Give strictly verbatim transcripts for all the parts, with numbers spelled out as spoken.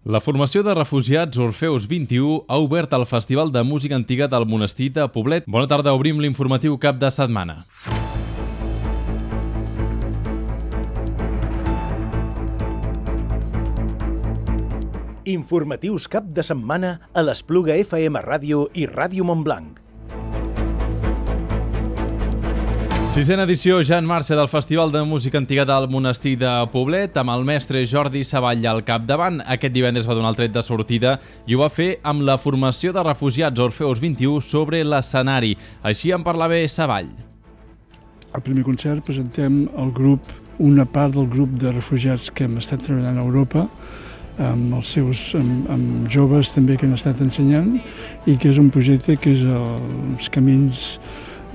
La formació de refugiats Orfeus vint-i-u ha obert el Festival de Música Antiga del Monestir de Poblet. Bona tarda, obrim l'informatiu cap de setmana. Informatius cap de setmana a l'Espluga F M Ràdio i Ràdio Montblanc. Sisena edició ja en marxa del Festival de Música Antiga del Monestir de Poblet, amb el mestre Jordi Savall al capdavant. Aquest divendres va donar el tret de sortida i ho va fer amb la formació de refugiats Orfeus vint-i-u sobre l'escenari. Així en parlava Savall. Al primer concert presentem el grup, una part del grup de refugiats que hem estat treballant a Europa, amb els seus amb, amb joves també que han estat ensenyant, i que és un projecte que és els camins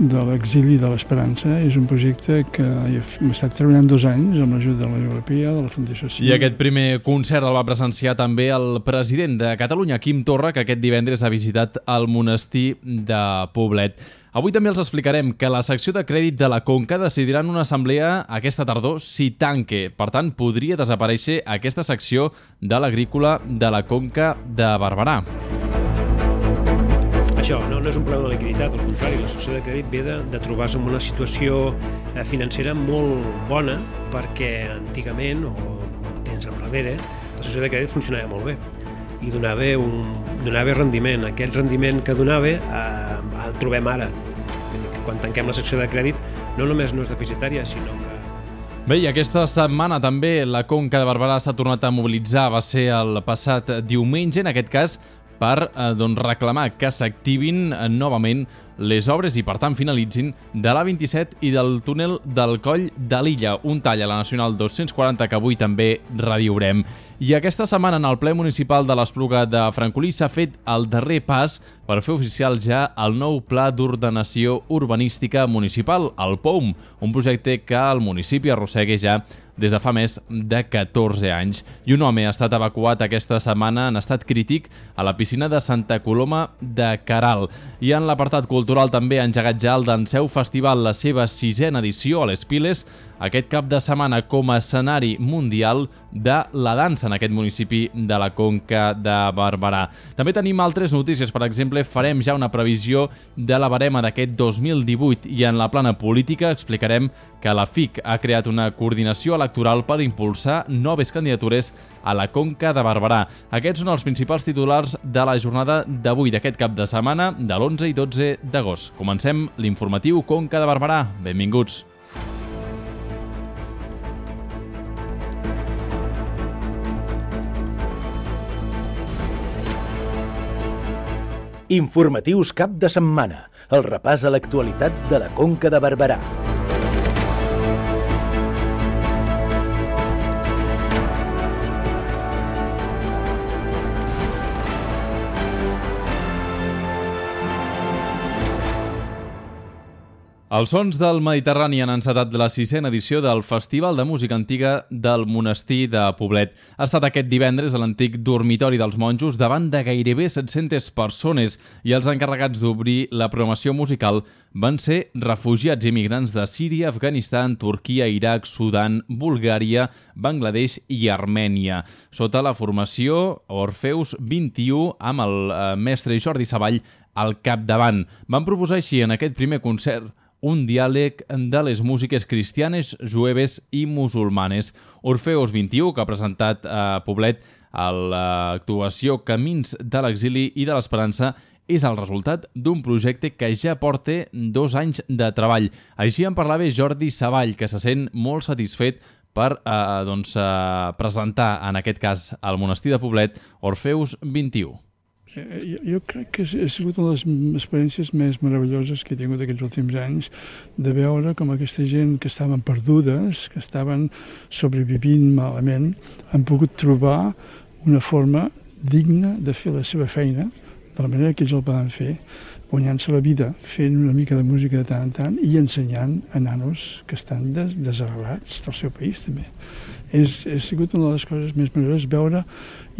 de l'exili de l'esperança. És un projecte que hem estat treballant dos anys amb l'ajuda de la Unió Europea, de la Fundació Civil. I aquest primer concert el va presenciar també el president de Catalunya, Quim Torra, que aquest divendres ha visitat el monestir de Poblet. Avui també els explicarem que la secció de crèdit de la Conca decidirà en una assemblea aquesta tardor si tanque. Per tant, podria desaparèixer aquesta secció de l'agrícola de la Conca de Barberà. Això no, no és un problema de liquiditat, al contrari, la secció de crèdit ve de, de trobar-se en una situació eh, financera molt bona, perquè antigament, o temps enrere, la secció de crèdit funcionava molt bé i donava, un, donava rendiment. Aquest rendiment que donava eh, el trobem ara. Quan tanquem la secció de crèdit no només no és deficitària, sinó que... Bé, i aquesta setmana també la Conca de Barberà s'ha tornat a mobilitzar. Va ser el passat diumenge, en aquest cas, per eh, doncs, reclamar que s'activin eh, novament les obres i, per tant, finalitzin de l'A vint-i-set i del túnel del Coll de l'Illa, un tall a la Nacional dos-cents quaranta que avui també reviurem. I aquesta setmana en el ple municipal de l'Espluga de Francolí s'ha fet el darrer pas per fer oficial ja el nou Pla d'Ordenació Urbanística Municipal, el P O U M, un projecte que el municipi arrossega ja des de fa més de catorze anys. I un home ha estat evacuat aquesta setmana en estat crític a la piscina de Santa Coloma de Queralt. I en l'apartat cultural també ha engegat ja el Danseu Festival, la seva sisena edició a les Piles, aquest cap de setmana com a escenari mundial de la dansa en aquest municipi de la Conca de Barberà. També tenim altres notícies. Per exemple, farem ja una previsió de la barema d'aquest dos mil divuit i en la plana política explicarem que la F I C ha creat una coordinació electoral per impulsar noves candidatures a la Conca de Barberà. Aquests són els principals titulars de la jornada d'avui, d'aquest cap de setmana, de l'onze i dotze d'agost. Comencem l'informatiu Conca de Barberà. Benvinguts. Informatius cap de setmana, el repàs a l'actualitat de la Conca de Barberà. Els sons del Mediterrani han encetat la sisena edició del Festival de Música Antiga del Monestir de Poblet. Ha estat aquest divendres a l'antic dormitori dels monjos davant de gairebé set-centes persones i els encarregats d'obrir la programació musical van ser refugiats i migrants de Síria, Afganistan, Turquia, Iraq, Sudan, Bulgària, Bangladesh i Armènia. Sota la formació Orfeus vint-i-u amb el eh, mestre Jordi Savall al capdavant. Van proposar així en aquest primer concert un diàleg de les músiques cristianes, jueves i musulmanes. Orfeus vint-i-u, que ha presentat a Poblet a l'actuació Camins de l'exili i de l'esperança, és el resultat d'un projecte que ja porta dos anys de treball. Així en parlava Jordi Savall, que se sent molt satisfet per eh, doncs, eh, presentar, en aquest cas, al monestir de Poblet, Orfeus vint-i-u. Jo, jo crec que ha sigut una de les experiències més meravelloses que he tingut aquests últims anys, de veure com aquesta gent que estaven perdudes, que estaven sobrevivint malament, han pogut trobar una forma digna de fer la seva feina, de la manera que ells el poden fer, guanyant-se la vida, fent una mica de música de tant en tant i ensenyant a nanos que estan des desarrelats del seu país també. És, ha sigut una de les coses més meravelloses veure,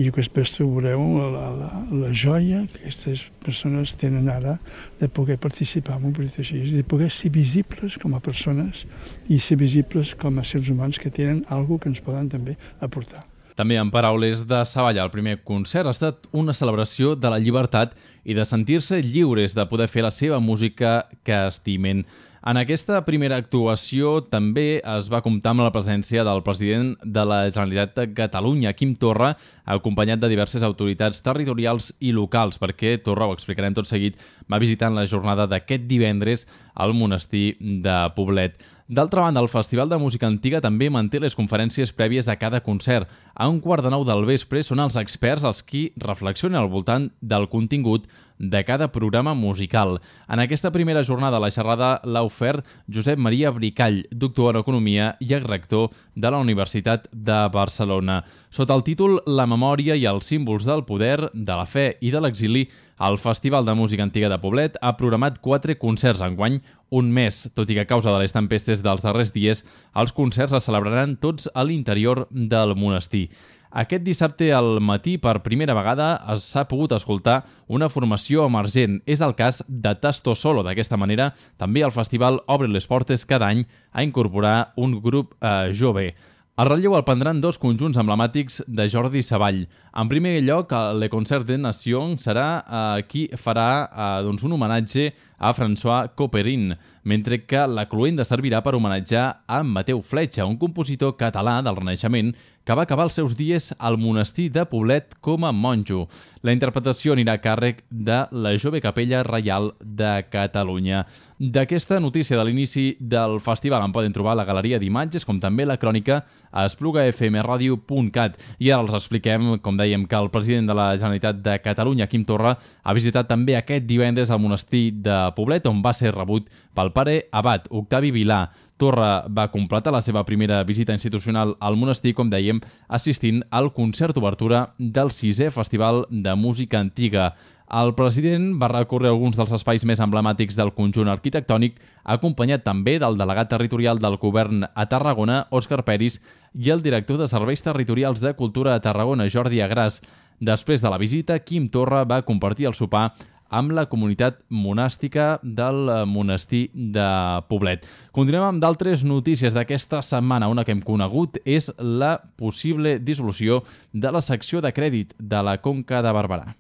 i després veureu la, la, la joia que aquestes persones tenen ara de poder participar en un projecte així, de poder ser visibles com a persones i ser visibles com a seres humans que tenen alguna cosa que ens poden també aportar. També en paraules de Savall, el primer concert ha estat una celebració de la llibertat i de sentir-se lliures de poder fer la seva música que estimen. En aquesta primera actuació també es va comptar amb la presència del president de la Generalitat de Catalunya, Quim Torra, acompanyat de diverses autoritats territorials i locals, perquè Torra, ho explicarem tot seguit, va visitar en la jornada d'aquest divendres al monestir de Poblet. D'altra banda, el Festival de Música Antiga també manté les conferències prèvies a cada concert. A un quart de nou del vespre són els experts els qui reflexionen al voltant del contingut de cada programa musical. En aquesta primera jornada la xerrada l'ha ofert Josep Maria Bricall, doctor en Economia i rector de la Universitat de Barcelona. Sota el títol La memòria i els símbols del poder, de la fe i de l'exili, el Festival de Música Antiga de Poblet ha programat quatre concerts enguany, un mes, tot i que a causa de les tempestes dels darrers dies, els concerts es celebraran tots a l'interior del monestir. Aquest dissabte al matí, per primera vegada, s'ha pogut escoltar una formació emergent. És el cas de Tasto Solo. D'aquesta manera, també el festival obre les portes cada any a incorporar un grup eh, jove. El relleu el prendran dos conjunts emblemàtics de Jordi Savall. En primer lloc, Le Concert de Nation serà eh, qui farà eh, doncs un homenatge a François Couperin, mentre que la cloenda servirà per homenatjar a Mateu Fletxa, un compositor català del Renaixement que va acabar els seus dies al monestir de Poblet com a monjo. La interpretació anirà a càrrec de la Jove Capella Reial de Catalunya. D'aquesta notícia de l'inici del festival en poden trobar la galeria d'imatges, com també la crònica a espluga f m radio punt cat. I ara els expliquem, com dèiem, que el president de la Generalitat de Catalunya, Quim Torra, ha visitat també aquest divendres al monestir de Poblet, on va ser rebut pel pare abat, Octavi Vilà. Torra va completar la seva primera visita institucional al monestir, com dèiem, assistint al concert d'obertura del sisè Festival de Música Antiga. El president va recórrer alguns dels espais més emblemàtics del conjunt arquitectònic, acompanyat també del delegat territorial del govern a Tarragona, Òscar Peris, i el director de Serveis Territorials de Cultura a Tarragona, Jordi Agràs. Després de la visita, Quim Torra va compartir el sopar amb la comunitat monàstica del monestir de Poblet. Continuem amb d'altres notícies d'aquesta setmana. Una que hem conegut és la possible dissolució de la secció de crèdit de la Conca de Barberà.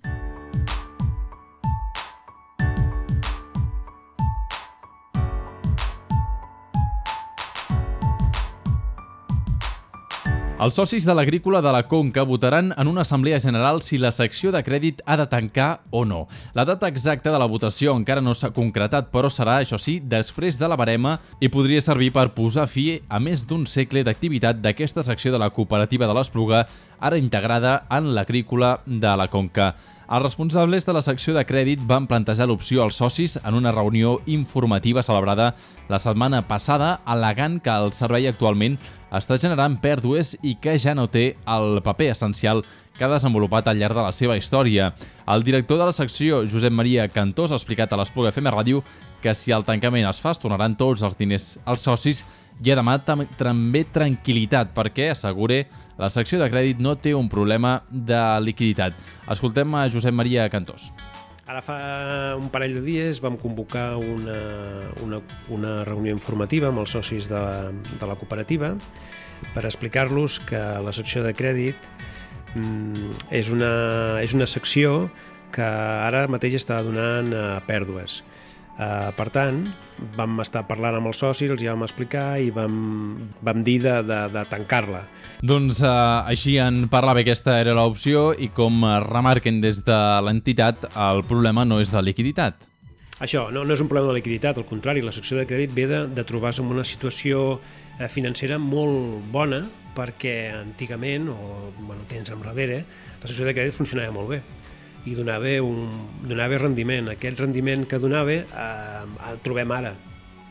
Els socis de l'Agrícola de la Conca votaran en una assemblea general si la secció de crèdit ha de tancar o no. La data exacta de la votació encara no s'ha concretat, però serà, això sí, després de la barema i podria servir per posar fi a més d'un segle d'activitat d'aquesta secció de la cooperativa de l'Espluga, ara integrada en l'Agrícola de la Conca. Els responsables de la secció de crèdit van plantejar l'opció als socis en una reunió informativa celebrada la setmana passada, al·legant que el servei actualment està generant pèrdues i que ja no té el paper essencial que ha desenvolupat al llarg de la seva història. El director de la secció, Josep Maria Cantós, ha explicat a l'Espluga F M Ràdio que si el tancament es fa, es tornaran tots els diners als socis i ha demanat també tranquil·litat perquè, assegura, la secció de crèdit no té un problema de liquiditat. Escoltem a Josep Maria Cantós. Ara fa un parell de dies vam convocar una, una, una reunió informativa amb els socis de la, de la cooperativa per explicar-los que la secció de crèdit mm, és, una, és una secció que ara mateix està donant uh, pèrdues. Uh, per tant, vam estar parlant amb els socis, els hi vam explicar i vam, vam dir de, de, de tancar-la. Doncs uh, així en parlava, aquesta era l'opció i com remarquen des de l'entitat, el problema no és de liquiditat. Això, no, no és un problema de liquiditat, al contrari, la secció de crèdit ve de, de trobar-se en una situació eh, financera molt bona perquè antigament, o bueno, temps enrere, la secció de crèdit funcionava molt bé i donava, un, donava rendiment. Aquest rendiment que donava eh, el trobem ara.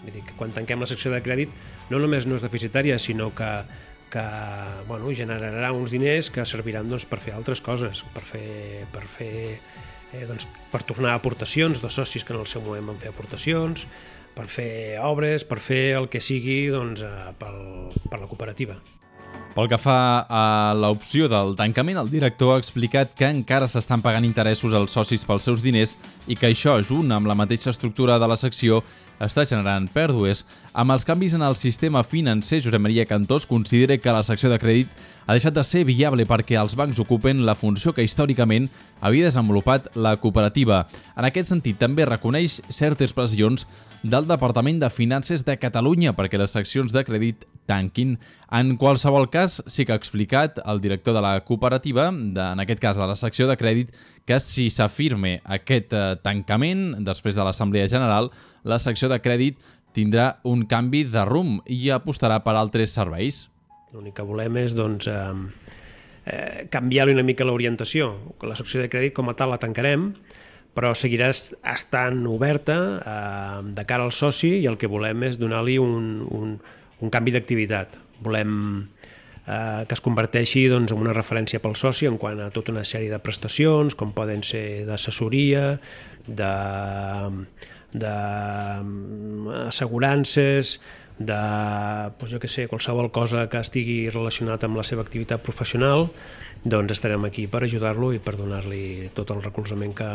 Vull dir que quan tanquem la secció de crèdit no només no és deficitària, sinó que, que bueno, generarà uns diners que serviran doncs, per fer altres coses, per fer, per, fer, eh, doncs, per tornar a aportacions de socis que en el seu moment van fer aportacions, per fer obres, per fer el que sigui doncs, eh, pel, per la cooperativa. Pel que fa a l'opció del tancament, el director ha explicat que encara s'estan pagant interessos als socis pels seus diners i que això, junt amb la mateixa estructura de la secció, està generant pèrdues. Amb els canvis en el sistema financer, Josep Maria Cantós considera que la secció de crèdit ha deixat de ser viable perquè els bancs ocupen la funció que històricament havia desenvolupat la cooperativa. En aquest sentit, també reconeix certes pressions del Departament de Finances de Catalunya perquè les seccions de crèdit tanquin. En qualsevol cas, sí que ha explicat el director de la cooperativa, de, en aquest cas de la secció de crèdit, que si s'afirme aquest eh, tancament després de l'Assemblea General, la secció de crèdit tindrà un canvi de rumb i apostarà per altres serveis. L'únic que volem és doncs, eh, eh, canviar-li una mica l'orientació. La secció de crèdit com a tal la tancarem, però seguirà estant oberta eh, de cara al soci i el que volem és donar-li un, un, un canvi d'activitat. Volem eh, que es converteixi doncs, en una referència pel soci en quant a tota una sèrie de prestacions, com poden ser d'assessoria, de, de assegurances, de doncs jo què sé, qualsevol cosa que estigui relacionat amb la seva activitat professional, doncs estarem aquí per ajudar-lo i per donar-li tot el recolzament que,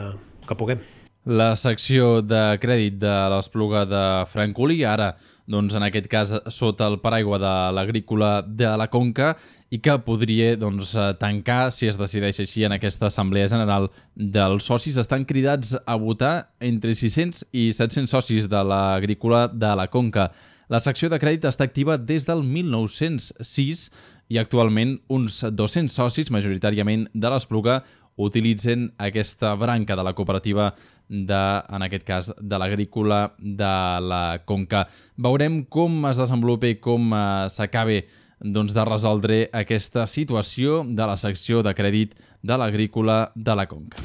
que puguem. La secció de crèdit de l'Espluga de Francolí, ara, doncs, en aquest cas, sota el paraigua de l'agrícola de la Conca, i que podria doncs, tancar, si es decideix així, en aquesta Assemblea General dels socis. Estan cridats a votar entre sis-cents i set-cents socis de l'agrícola de la Conca. La secció de crèdit està activa des del mil nou-cents sis i actualment uns dos-cents socis, majoritàriament de l'Espluga, utilitzen aquesta branca de la cooperativa de, en aquest cas, de l'agrícola de la Conca. Veurem com es desenvolupa i com eh, s'acabe doncs, de resoldre aquesta situació de la secció de crèdit de l'agrícola de la Conca.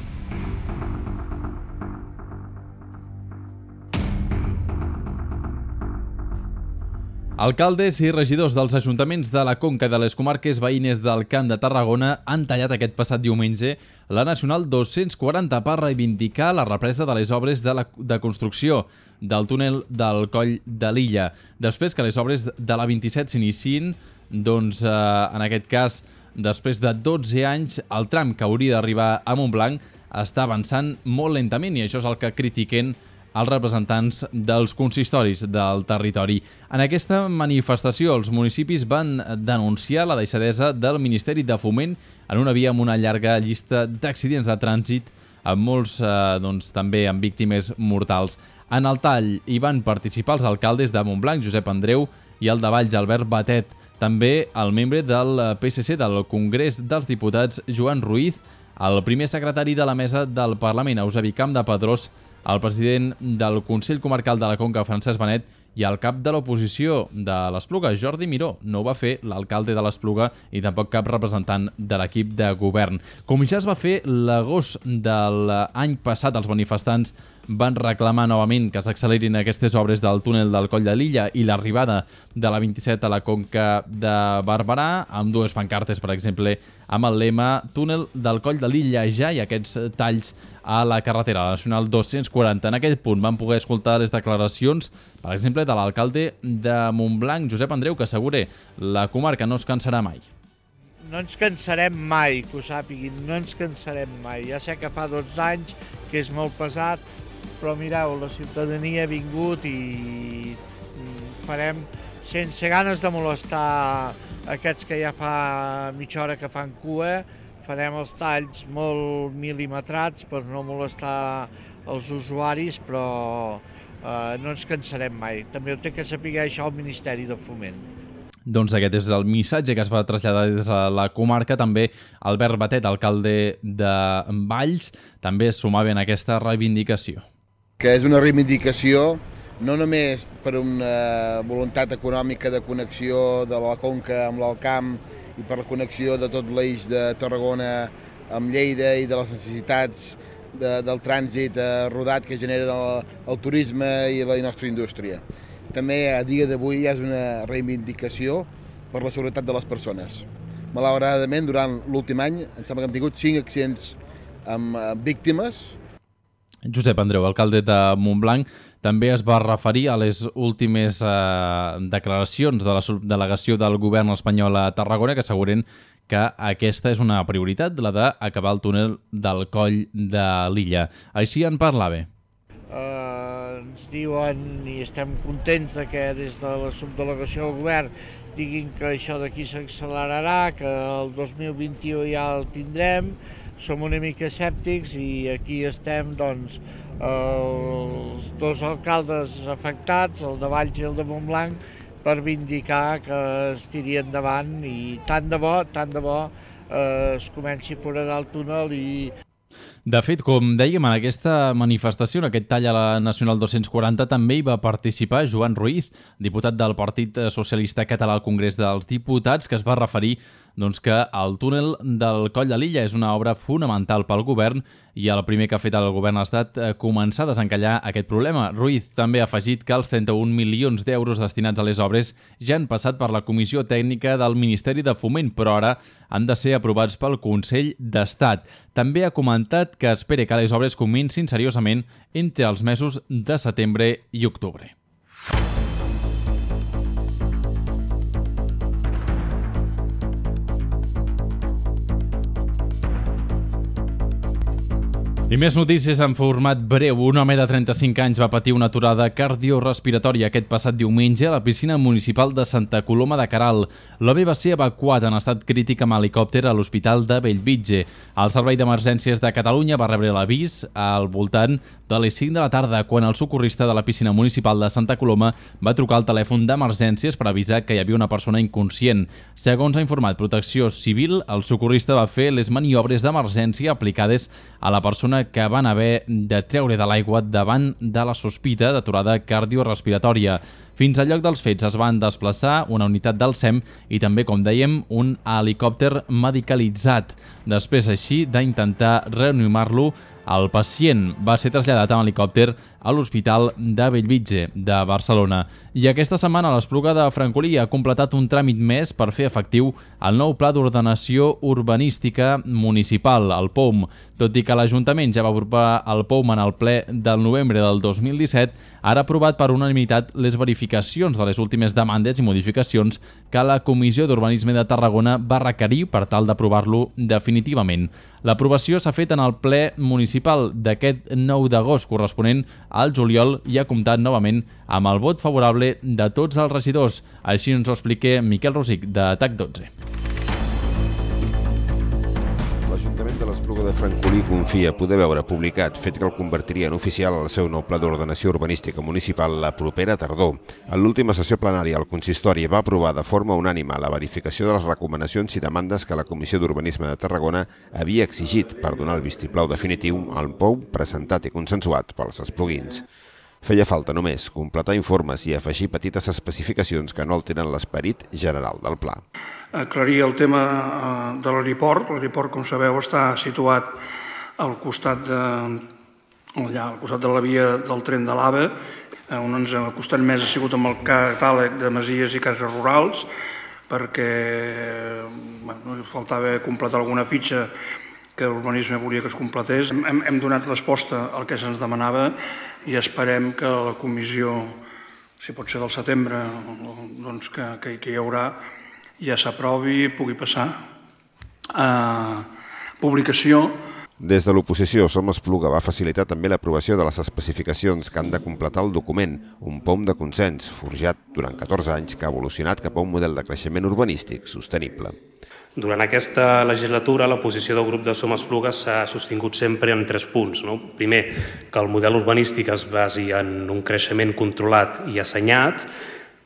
Alcaldes i regidors dels ajuntaments de la Conca i de les comarques veïnes del Camp de Tarragona han tallat aquest passat diumenge la Nacional dos-cents quaranta per reivindicar la represa de les obres de, la, de construcció del túnel del Coll de l'Illa. Després que les obres de la vint-i-set s'iniciïn, doncs, eh, en aquest cas, després de dotze anys, el tram que hauria d'arribar a Montblanc està avançant molt lentament i això és el que critiquen els representants dels consistoris del territori. En aquesta manifestació, els municipis van denunciar la deixadesa del Ministeri de Foment en una via amb una llarga llista d'accidents de trànsit, amb molts eh, doncs, també amb víctimes mortals. En el tall hi van participar els alcaldes de Montblanc, Josep Andreu, i el de Valls, Albert Batet. També el membre del P S C del Congrés dels Diputats, Joan Ruiz, el primer secretari de la Mesa del Parlament, Eusebi Campdepadrós, el president del Consell Comarcal de la Conca, Francesc Benet, i el cap de l'oposició de l'Espluga, Jordi Miró. No ho va fer l'alcalde de l'Espluga i tampoc cap representant de l'equip de govern. Com ja es va fer l'agost de l'any passat, els manifestants van reclamar novament que s'accelerin aquestes obres del túnel del Coll de l'Illa i l'arribada de la vint-i-set a la Conca de Barberà, amb dues pancartes, per exemple, amb el lema Túnel del Coll de l'Illa ja, i aquests talls a la carretera, la Nacional dos-cents quaranta. En aquest punt van poder escoltar les declaracions, per exemple, de l'alcalde de Montblanc, Josep Andreu, que assegura la comarca no es cansarà mai. No ens cansarem mai, que ho sàpiguin, no ens cansarem mai. Ja sé que fa dotze anys, que és molt pesat, però mireu, la ciutadania ha vingut i farem, sense ganes de molestar aquests que ja fa mitja hora que fan cua, farem els talls molt mil·limetrats per no molestar els usuaris, però eh, no ens cansarem mai. També ho té que saber això el Ministeri de Foment. Doncs aquest és el missatge que es va traslladar des de la comarca. També Albert Batet, alcalde de Valls, també es sumava en aquesta reivindicació. Que és una reivindicació no només per una voluntat econòmica de connexió de la Conca amb l'Alt Camp i per la connexió de tot l'eix de Tarragona amb Lleida i de les necessitats de, del trànsit eh, rodat que genera el, el turisme i la nostra indústria. També a dia d'avui és una reivindicació per la seguretat de les persones. Malauradament, durant l'últim any, em sembla que hem tingut cinc accidents amb víctimes. Josep Andreu, alcalde de Montblanc, també es va referir a les últimes eh, declaracions de la subdelegació del govern espanyol a Tarragona, que asseguren que aquesta és una prioritat, la d'acabar el túnel del Coll de l'Illa. Així en parlava. eh, ens diuen i estem contents de que des de la subdelegació del govern diguin que això d'aquí s'accelerarà, que el dos mil vint-i-u ja el tindrem. Som una mica escèptics i aquí estem, doncs, els dos alcaldes afectats, el de Valls i el de Montblanc, per vindicar que es tiri endavant i tant de bo, tant de bo eh, es comenci a foradar el túnel i... De fet, com dèiem, en aquesta manifestació, en aquest tall a la Nacional dos-cents quaranta, també hi va participar Joan Ruiz, diputat del Partit Socialista Català al Congrés dels Diputats, que es va referir doncs, que el túnel del Coll de Lilla és una obra fonamental pel govern i el primer que ha fet el govern ha estat començar a desencallar aquest problema. Ruiz també ha afegit que els trenta-un milions d'euros destinats a les obres ja han passat per la Comissió Tècnica del Ministeri de Foment, però ara han de ser aprovats pel Consell d'Estat. També ha comentat que espera que les obres comencin seriosament entre els mesos de setembre i octubre. I més notícies en format breu. Un home de trenta-cinc anys va patir una aturada cardiorespiratòria aquest passat diumenge a la piscina municipal de Santa Coloma de Queralt. L'home va ser evacuat en estat crític amb helicòpter a l'Hospital de Bellvitge. El Servei d'Emergències de Catalunya va rebre l'avís al voltant de les cinc de la tarda, quan el socorrista de la piscina municipal de Santa Coloma va trucar al telèfon d'emergències per avisar que hi havia una persona inconscient. Segons ha informat Protecció Civil, el socorrista va fer les maniobres d'emergència aplicades a la persona que van haver de treure de l'aigua davant de la sospita d'aturada cardiorespiratòria. Fins al lloc dels fets es van desplaçar una unitat del S E M i també, com dèiem, un helicòpter medicalitzat. Després, així, d'intentar reanimar-lo, el pacient va ser traslladat en helicòpter a l'Hospital de Bellvitge de Barcelona. I aquesta setmana l'Espluga de Francolí ha completat un tràmit més per fer efectiu el nou Pla d'Ordenació Urbanística Municipal, el P O M. Tot i que l'Ajuntament ja va aprovar el P O M en el ple del novembre del dos mil disset, ara ha aprovat per unanimitat les verificacions de les últimes demandes i modificacions que la Comissió d'Urbanisme de Tarragona va requerir per tal d'aprovar-lo definitivament. L'aprovació s'ha fet en el ple municipal d'aquest nou d'agost, corresponent al juliol, i ha comptat novament amb el vot favorable de tots els regidors. Així ens ho explica Miquel Rosic, de T A C dotze. L'Ajuntament de l'Espluga de Francolí confia poder veure publicat, fet que el convertiria en oficial el seu nou Pla d'Ordenació Urbanística Municipal la propera tardor. En l'última sessió plenària, el consistori va aprovar de forma unànime la verificació de les recomanacions i demandes que la Comissió d'Urbanisme de Tarragona havia exigit per donar el vistiplau definitiu al P O M presentat i consensuat pels espluguins. Feia falta només completar informes i afegir petites especificacions que no alteren l'esperit general del pla. Aclarir el tema de l'aeroport. L'aeroport, com sabeu, està situat al costat de, allà, al costat de la via del tren de l'AVE, on ens ha costat més ha sigut amb el catàleg de masies i cases rurals, perquè bueno, faltava completar alguna fitxa que l'urbanisme volia que es completés. Hem, hem donat resposta al que se'ns demanava i esperem que la comissió, si pot ser del setembre, doncs que, que, que hi haurà, ja s'aprovi i pugui passar a publicació. Des de l'oposició, Som Espluga va facilitar també l'aprovació de les especificacions que han de completar el document, un P O M de consens, forjat durant catorze anys, que ha evolucionat cap a un model de creixement urbanístic sostenible. Durant aquesta legislatura, la posició del grup de Som Espluga s'ha sostingut sempre en tres punts. No? Primer, que el model urbanístic es basi en un creixement controlat i assenyat.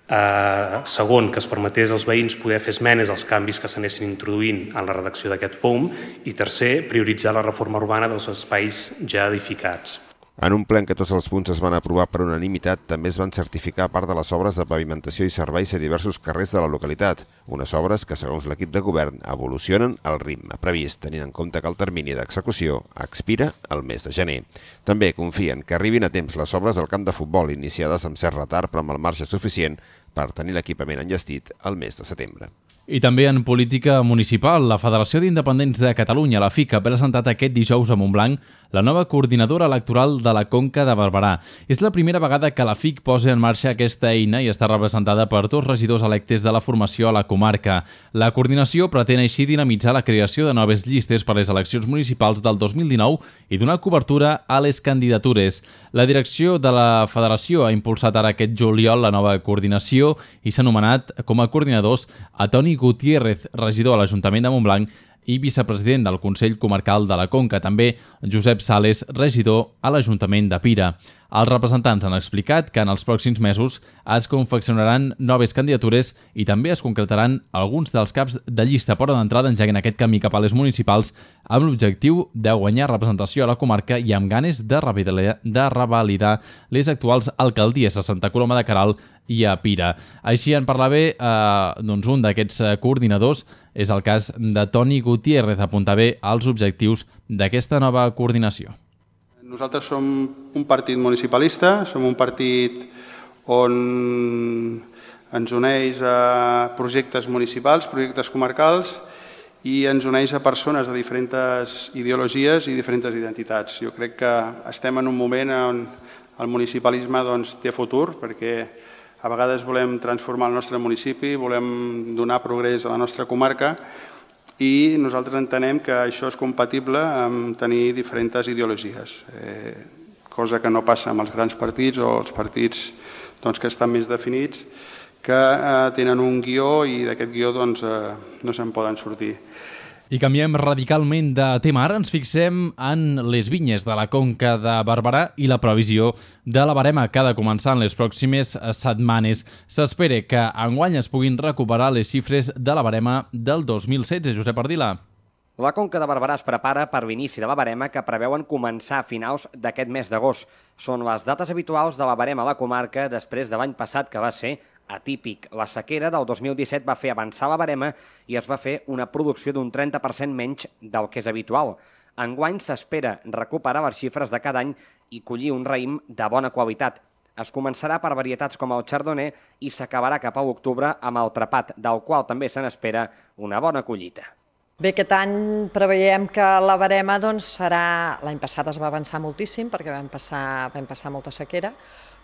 Eh, segon, que es permetés als veïns poder fer esmenes als canvis que s'anessin introduint en la redacció d'aquest P O M. I tercer, prioritzar la reforma urbana dels espais ja edificats. En un ple en què tots els punts es van aprovar per unanimitat, també es van certificar part de les obres de pavimentació i serveis a diversos carrers de la localitat, unes obres que, segons l'equip de govern, evolucionen al ritme previst, tenint en compte que el termini d'execució expira el mes de gener. També confien que arribin a temps les obres del camp de futbol, iniciades amb cert retard però amb el marge suficient per tenir l'equipament enllestit el mes de setembre. I també en política municipal, la Federació d'Independents de Catalunya, la F I C, ha presentat aquest dijous a Montblanc la nova coordinadora electoral de la Conca de Barberà. És la primera vegada que la F I C posa en marxa aquesta eina i està representada per dos regidors electes de la formació a la comarca. La coordinació pretén així dinamitzar la creació de noves llistes per a les eleccions municipals del dos mil dinou i donar cobertura a les candidatures. La direcció de la federació ha impulsat ara aquest juliol la nova coordinació i s'ha anomenat com a coordinadors a Toni Gutiérrez, regidor a l'Ajuntament de Montblanc i vicepresident del Consell Comarcal de la Conca, també Josep Sales, regidor a l'Ajuntament de Pira. Els representants han explicat que en els pròxims mesos es confeccionaran noves candidatures i també es concretaran alguns dels caps de llista per d'entrada engeguen aquest camí cap a les municipals amb l'objectiu de guanyar representació a la comarca i amb ganes de revalidar, de revalidar les actuals alcaldies a Santa Coloma de Queralt i a Pira. Així en parlava eh, doncs un d'aquests coordinadors, és el cas de Toni Gutiérrez, apuntava als objectius d'aquesta nova coordinació. Nosaltres som un partit municipalista, som un partit on ens uneix a projectes municipals, projectes comarcals i ens uneix a persones de diferents ideologies i diferents identitats. Jo crec que estem en un moment on el municipalisme doncs, té futur perquè a vegades volem transformar el nostre municipi, volem donar progrés a la nostra comarca i nosaltres entenem que això és compatible amb tenir diferents ideologies, eh, cosa que no passa amb els grans partits o els partits doncs, que estan més definits, que eh, tenen un guió i d'aquest guió doncs, eh, no se'n poden sortir. I canviem radicalment de tema. Ara ens fixem en les vinyes de la Conca de Barberà i la previsió de la barema que ha de començar en les pròximes setmanes. S'espera que enguany es puguin recuperar les xifres de la barema del dos mil setze. Josep Ardila. La Conca de Barberà es prepara per l'inici de la barema que preveuen començar a finals d'aquest mes d'agost. Són les dates habituals de la barema a la comarca després de l'any passat que va ser atípic. La sequera del dos mil disset va fer avançar la barema i es va fer una producció d'un trenta per cent menys del que és habitual. Enguany s'espera recuperar les xifres de cada any i collir un raïm de bona qualitat. Es començarà per varietats com el chardonnay i s'acabarà cap a l'octubre amb el trepat, del qual també se n'espera una bona collita. Bé, aquest any preveiem que la barema doncs, serà... L'any passat es va avançar moltíssim perquè vam passar, vam passar molta sequera,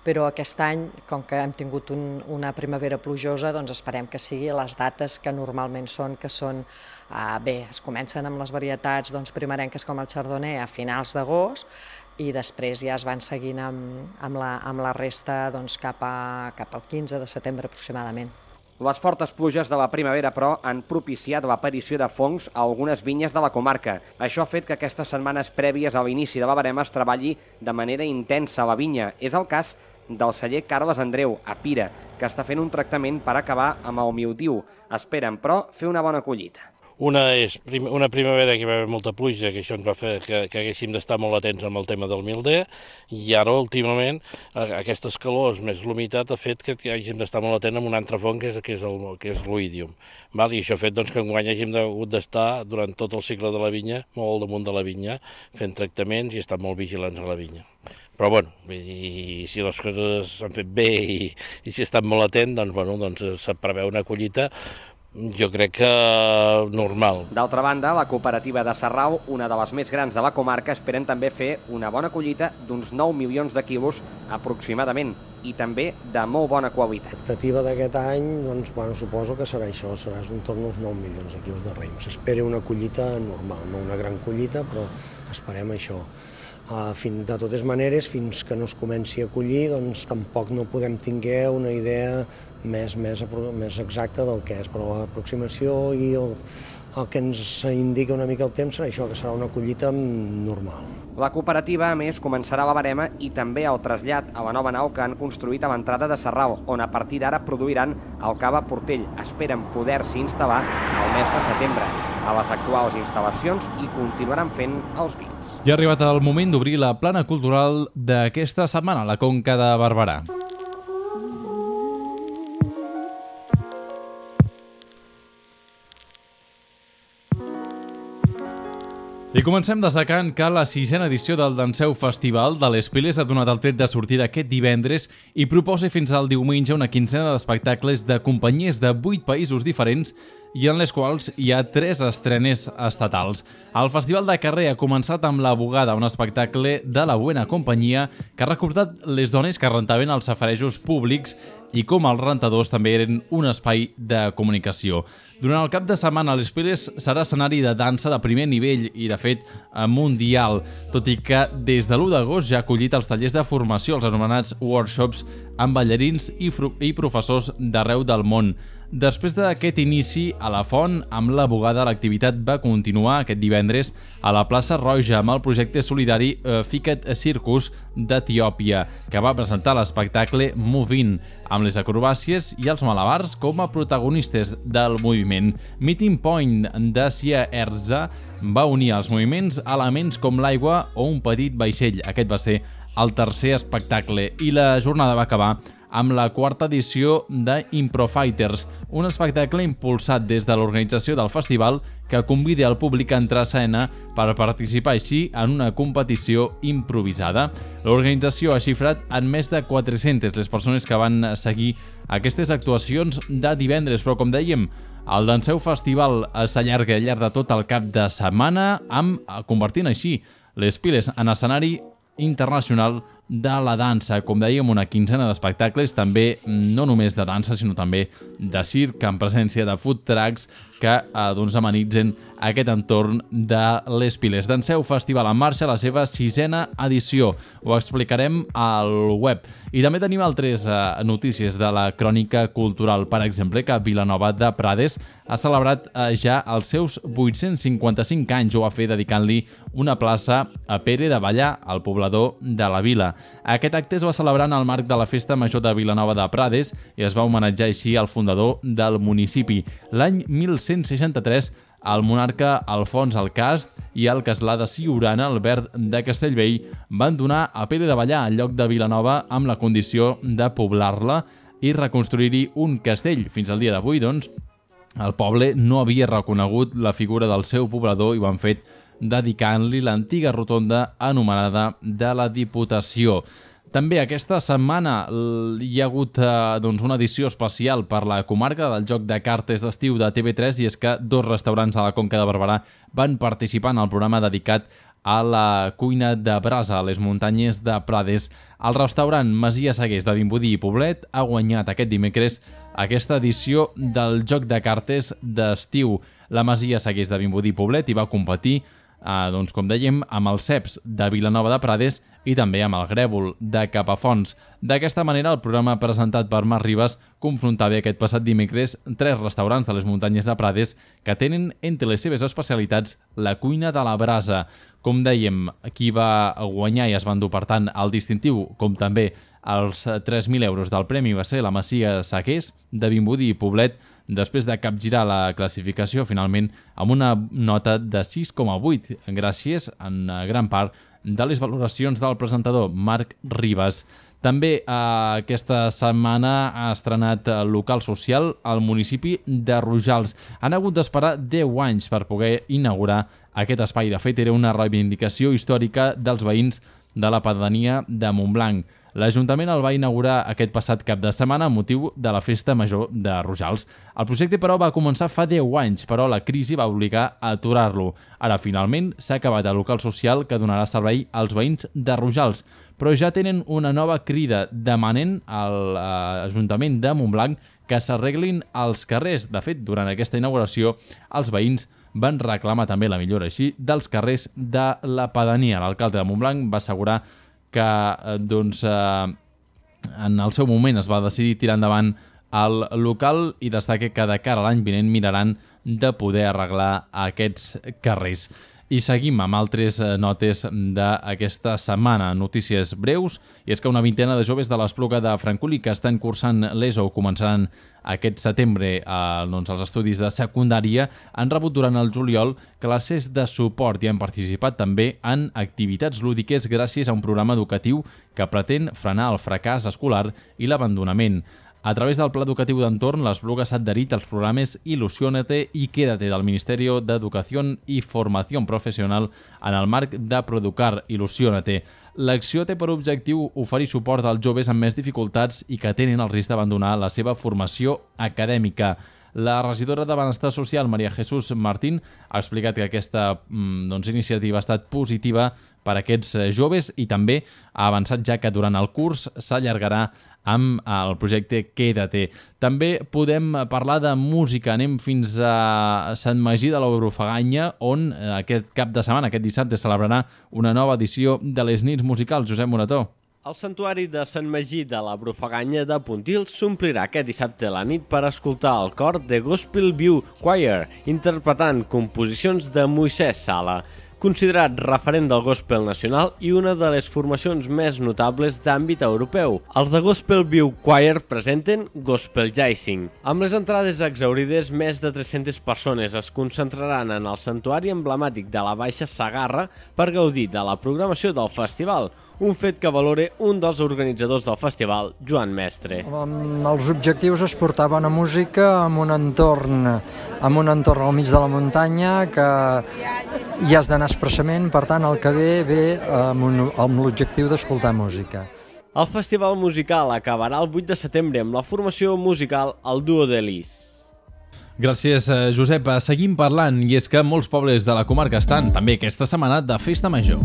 però aquest any, com que hem tingut un, una primavera plujosa, doncs esperem que sigui les dates que normalment són, que són, eh, bé, es comencen amb les varietats doncs, primerenques com el chardonnay a finals d'agost i després ja es van seguint amb, amb, la, amb la resta doncs, cap, a, cap al quinze de setembre aproximadament. Les fortes pluges de la primavera, però, han propiciat l'aparició de fongs a algunes vinyes de la comarca. Això ha fet que aquestes setmanes prèvies a l'inici de la barema es treballi de manera intensa a la vinya. És el cas del celler Carles Andreu, a Pira, que està fent un tractament per acabar amb el mildiu. Esperen, però, fer una bona collita. Una és prim una primavera que hi va haver molta pluja, que això ens va fer que, que haguéssim d'estar molt atents amb el tema del milder, i ara, últimament, aquestes calors més l'humitat ha fet que, que hàgim d'estar molt atents amb un altre fong, que és, que és, el, que és l'oïdium. I això ha fet doncs, que enguany hàgim hagut d'estar, durant tot el cicle de la vinya, molt damunt de la vinya, fent tractaments i estar molt vigilants a la vinya. Però, bueno, i si les coses s'han fet bé i, i si estan molt atent, doncs, bueno, doncs se preveu una collita, jo crec que normal. D'altra banda, la cooperativa de Sarral, una de les més grans de la comarca, esperen també fer una bona collita d'uns nou milions de quilos aproximadament i també de molt bona qualitat. L'expectativa d'aquest any, doncs, bueno, suposo que serà això, serà un torn uns nou milions de quilos de raïm. S'espera una collita normal, no una gran collita, però esperem això. Uh, fin, de totes maneres, fins que no es comenci a collir, doncs tampoc no podem tinguer una idea més, més, més exacta del que és, però l'aproximació i el, el que ens indica una mica el temps serà això, que serà una collita normal. La cooperativa, a més, començarà la barema i també el trasllat a la nova nau que han construït a l'entrada de Sarral, on a partir d'ara produiran el cava Portell. Esperen poder-s'hi instal·lar al mes de setembre a les actuals instal·lacions i continuaran fent els vins. Ja ha arribat el moment d'obrir la plana cultural d'aquesta setmana a la Conca de Barberà. I comencem destacant que la sisena edició del Danseu Festival de les Piles ha donat el tret de sortida aquest divendres i proposa fins al diumenge una quinzena d'espectacles de companyies de vuit països diferents i en les quals hi ha tres estrenes estatals. El Festival de Carrer ha començat amb La Bugada, un espectacle de la Buena Companyia que ha recordat les dones que rentaven els safarejos públics i com els rentadors també eren un espai de comunicació. Durant el cap de setmana, Les Piles serà escenari de dansa de primer nivell i, de fet, mundial, tot i que des de l'u d'agost ja ha acollit els tallers de formació, els anomenats workshops, amb ballarins i, i professors d'arreu del món. Després d'aquest inici a la Font, amb La Bugada, l'activitat va continuar aquest divendres a la plaça Roja amb el projecte solidari Ficat Circus d'Etiòpia, que va presentar l'espectacle Movin, amb les acrobàcies i els malabars com a protagonistes del moviment. Meeting Point de Sia Erza va unir els moviments a elements com l'aigua o un petit vaixell. Aquest va ser el tercer espectacle i la jornada va acabar amb la quarta edició de Improfighters, un espectacle impulsat des de l'organització del festival que convida el públic a entrar a escena per participar així en una competició improvisada. L'organització ha xifrat en més de quatre-centes les persones que van seguir aquestes actuacions de divendres, però com dèiem, el Danseu Festival s'allarga al llarg de tot el cap de setmana, amb convertint així Les Piles en escenari internacional de la dansa. Com dèiem, una quinzena d'espectacles, també no només de dansa, sinó també de circ, amb presència de food trucks que eh, doncs amenitzen aquest entorn de Les Piles. Danseu Festival en marxa, la seva sisena edició. Ho explicarem al web. I també tenim altres eh, notícies de la crònica cultural. Per exemple, que Vilanova de Prades ha celebrat eh, ja els seus vuit-cents cinquanta-cinc anys. Ho va fer dedicant-li una plaça a Pere de Ballar, el poblador de la vila. Aquest acte es va celebrar en el marc de la Festa Major de Vilanova de Prades i es va homenatjar així al fundador del municipi. L'any mil cent seixanta-tres, el monarca Alfons el Cast i el castlà de Siurana, Albert de Castellvell, van donar a Pere de Ballar al lloc de Vilanova amb la condició de poblar-la i reconstruir-hi un castell. Fins al dia d'avui, doncs, el poble no havia reconegut la figura del seu poblador i ho han fet dedicant-li l'antiga rotonda anomenada de la Diputació. També aquesta setmana hi ha hagut eh, doncs una edició especial per la comarca del joc de cartes d'estiu de T V tres, i és que dos restaurants a la Conca de Barberà van participar en el programa dedicat a la cuina de brasa a les muntanyes de Prades. El restaurant Masia Segués de Vimbodí i Poblet ha guanyat aquest dimecres aquesta edició del joc de cartes d'estiu. La Masia Segués de Vimbodí i Poblet hi va competir Eh, doncs, com dèiem, amb els ceps de Vilanova de Prades i també amb el grèvol de Capafonts. D'aquesta manera, el programa presentat per Marc Ribas confrontava aquest passat dimecres tres restaurants de les muntanyes de Prades que tenen entre les seves especialitats la cuina de la brasa. Com dèiem, qui va guanyar i es va endur, per tant, el distintiu, com també els tres mil euros del premi, va ser la Masia Segués de Vimbodí i Poblet, després de capgirar la classificació finalment amb una nota de sis coma vuit, gràcies en gran part de les valoracions del presentador Marc Ribas. També eh, aquesta setmana ha estrenat local social al municipi de Rojals. Han hagut d'esperar deu anys per poder inaugurar aquest espai. De fet, era una reivindicació històrica dels veïns de la pedania de Montblanc. L'Ajuntament el va inaugurar aquest passat cap de setmana amb motiu de la Festa Major de Rojals. El projecte, però, va començar fa deu anys, però la crisi va obligar a aturar-lo. Ara, finalment, s'ha acabat el local social que donarà servei als veïns de Rojals, però ja tenen una nova crida demanant a l'Ajuntament de Montblanc que s'arreglin els carrers. De fet, durant aquesta inauguració, els veïns van reclamar també la millora així dels carrers de la pedania. L'alcalde de Montblanc va assegurar que doncs, eh, en el seu moment es va decidir tirar endavant el local i destaca que de cara a l'any vinent miraran de poder arreglar aquests carrers. I seguim amb altres notes d'aquesta setmana, notícies breus, i és que una vintena de joves de l'Espluga de Francolí que estan cursant l'ESO o començaran aquest setembre eh, doncs, els estudis de secundària han rebut durant el juliol classes de suport i han participat també en activitats lúdiques gràcies a un programa educatiu que pretén frenar el fracàs escolar i l'abandonament. A través del Pla Educatiu d'Entorn, l'Espluga s'ha adherit als programes Ilusiónate i Quédate del Ministeri d'Educació i Formació Professional en el marc de Producar Ilusiónate. L'acció té per objectiu oferir suport als joves amb més dificultats i que tenen el risc d'abandonar la seva formació acadèmica. La regidora de Benestar Social, Maria Jesús Martín, ha explicat que aquesta doncs, iniciativa ha estat positiva per a aquests joves i també ha avançat ja que durant el curs s'allargarà amb el projecte Quédate. També podem parlar de música. Anem fins a Sant Magí de la Brufaganya, on aquest cap de setmana, aquest dissabte, celebrarà una nova edició de les nits musicals. Josep Morató. El santuari de Sant Magí de la Brufaganya de Pontils s'omplirà aquest dissabte a la nit per escoltar el cor de Gospel View Choir, interpretant composicions de Moisès Sala, considerat referent del gospel nacional i una de les formacions més notables d'àmbit europeu. Els de Gospel View Choir presenten Gospel Jazzing. Amb les entrades exhaurides, més de tres-centes persones es concentraran en el santuari emblemàtic de la Baixa Segarra per gaudir de la programació del festival, un fet que valora un dels organitzadors del festival, Joan Mestre. Els objectius és portar bona música en un entorn, en un entorn al mig de la muntanya que hi has d'anar expressament, per tant el que ve ve amb, un, amb l'objectiu d'escoltar música. El festival musical acabarà el vuit de setembre amb la formació musical El Duo de Lis. Gràcies, Josep. Seguim parlant, i és que molts pobles de la comarca estan també aquesta setmana de festa major.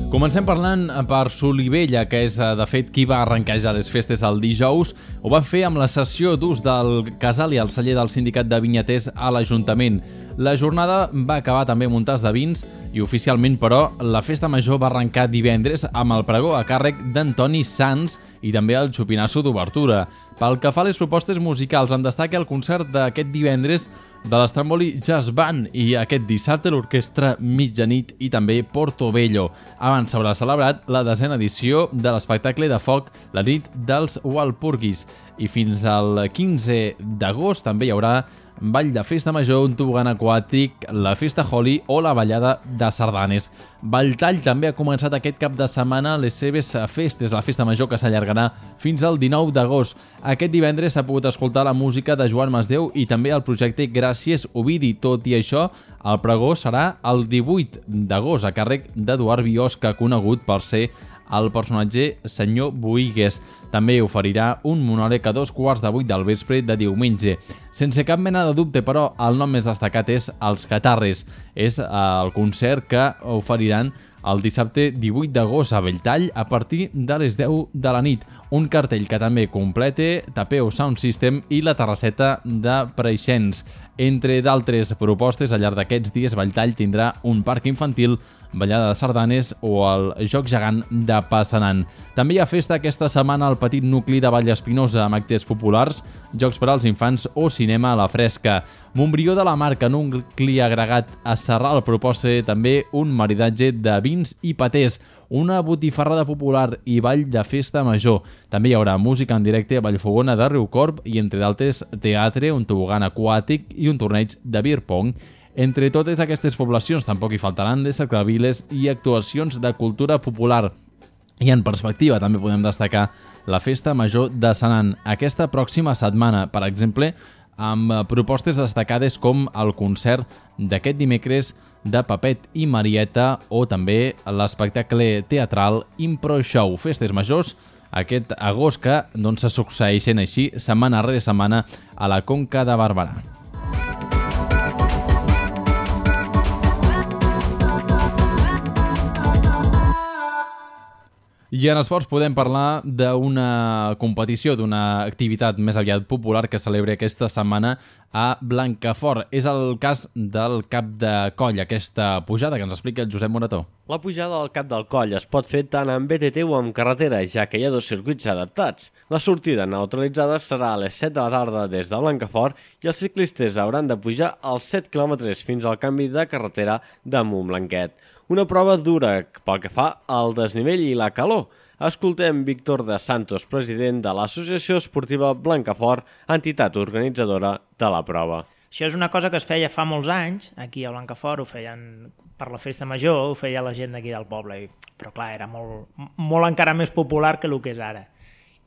Comencem parlant per Solivella, que és de fet qui va arrencar ja les festes el dijous. Ho van fer amb la sessió d'ús del casal i el celler del sindicat de vinyaters a l'Ajuntament. La jornada va acabar també amb un tas de vins i oficialment, però, la festa major va arrencar divendres amb el pregó a càrrec d'Antoni Sans i també el xupinasso d'obertura. Pel que fa a les propostes musicals, en destaca el concert d'aquest divendres de l'Estramboli Jazz Band i aquest dissabte l'orquestra Mitjanit i també Portobello. Abans s'haurà celebrat la desena edició de l'espectacle de foc La nit dels Walpurgis i fins al quinze d'agost també hi haurà ball de festa major, un tobogan aquàtic, la festa Holi o la ballada de sardanes. Valltall també ha començat aquest cap de setmana les seves festes, la festa major que s'allargarà fins al dinou d'agost. Aquest divendres s'ha pogut escoltar la música de Joan Masdeu i també el projecte Gràcies Ovidi. Tot i això, el pregó serà el divuit d'agost a càrrec d'Eduard Biosca, conegut per ser el personatge Senyor Boigues. També oferirà un monòleg a dos quarts de vuit del vespre de diumenge. Sense cap mena de dubte, però, el nom més destacat és Els Catarres. És el concert que oferiran el dissabte divuit d'agost a Belltall a partir de les deu de la nit. Un cartell que també complete Tapeo Sound System i la terrasseta de Preixens. Entre d'altres propostes, al llarg d'aquests dies, Belltall tindrà un parc infantil, ballada de sardanes o el joc gegant de Passanant. També hi ha festa aquesta setmana al petit nucli de Vallespinosa amb actes populars, jocs per als infants o cinema a la fresca. Montbrió de la Marca, nucli agregat a Sarral, proposa també un maridatge de vins i patés, una botifarrada popular i ball de festa major. També hi haurà música en directe a Vallfogona de Riucorb i, entre d'altres, teatre, un tobogan aquàtic i un torneig de beer pong. Entre totes aquestes poblacions tampoc hi faltaran les cercaviles i actuacions de cultura popular. I en perspectiva també podem destacar la festa major de Senan aquesta pròxima setmana, per exemple, amb propostes destacades com el concert d'aquest dimecres de Papet i Marieta o també l'espectacle teatral Impro Show. Festes majors aquest agost que doncs, se succeeixen així setmana rere setmana a la Conca de Barberà. I en esports podem parlar d'una competició, d'una activitat més aviat popular que celebra aquesta setmana a Blancafort. És el cas del Cap de Coll, aquesta pujada que ens explica el Josep Morató. La pujada al Cap del Coll es pot fer tant en B T T o en carretera, ja que hi ha dos circuits adaptats. La sortida neutralitzada serà a les set de la tarda des de Blancafort i els ciclistes hauran de pujar els set quilòmetres fins al canvi de carretera de Montblanquet. Una prova dura pel que fa al desnivell i la calor. Escoltem Víctor de Santos, president de l'Associació Esportiva Blancafort, entitat organitzadora de la prova. Això és una cosa que es feia fa molts anys, aquí a Blancafort, ho feien per la festa major, ho feia la gent d'aquí del poble, però clar, era molt, molt encara més popular que el que és ara.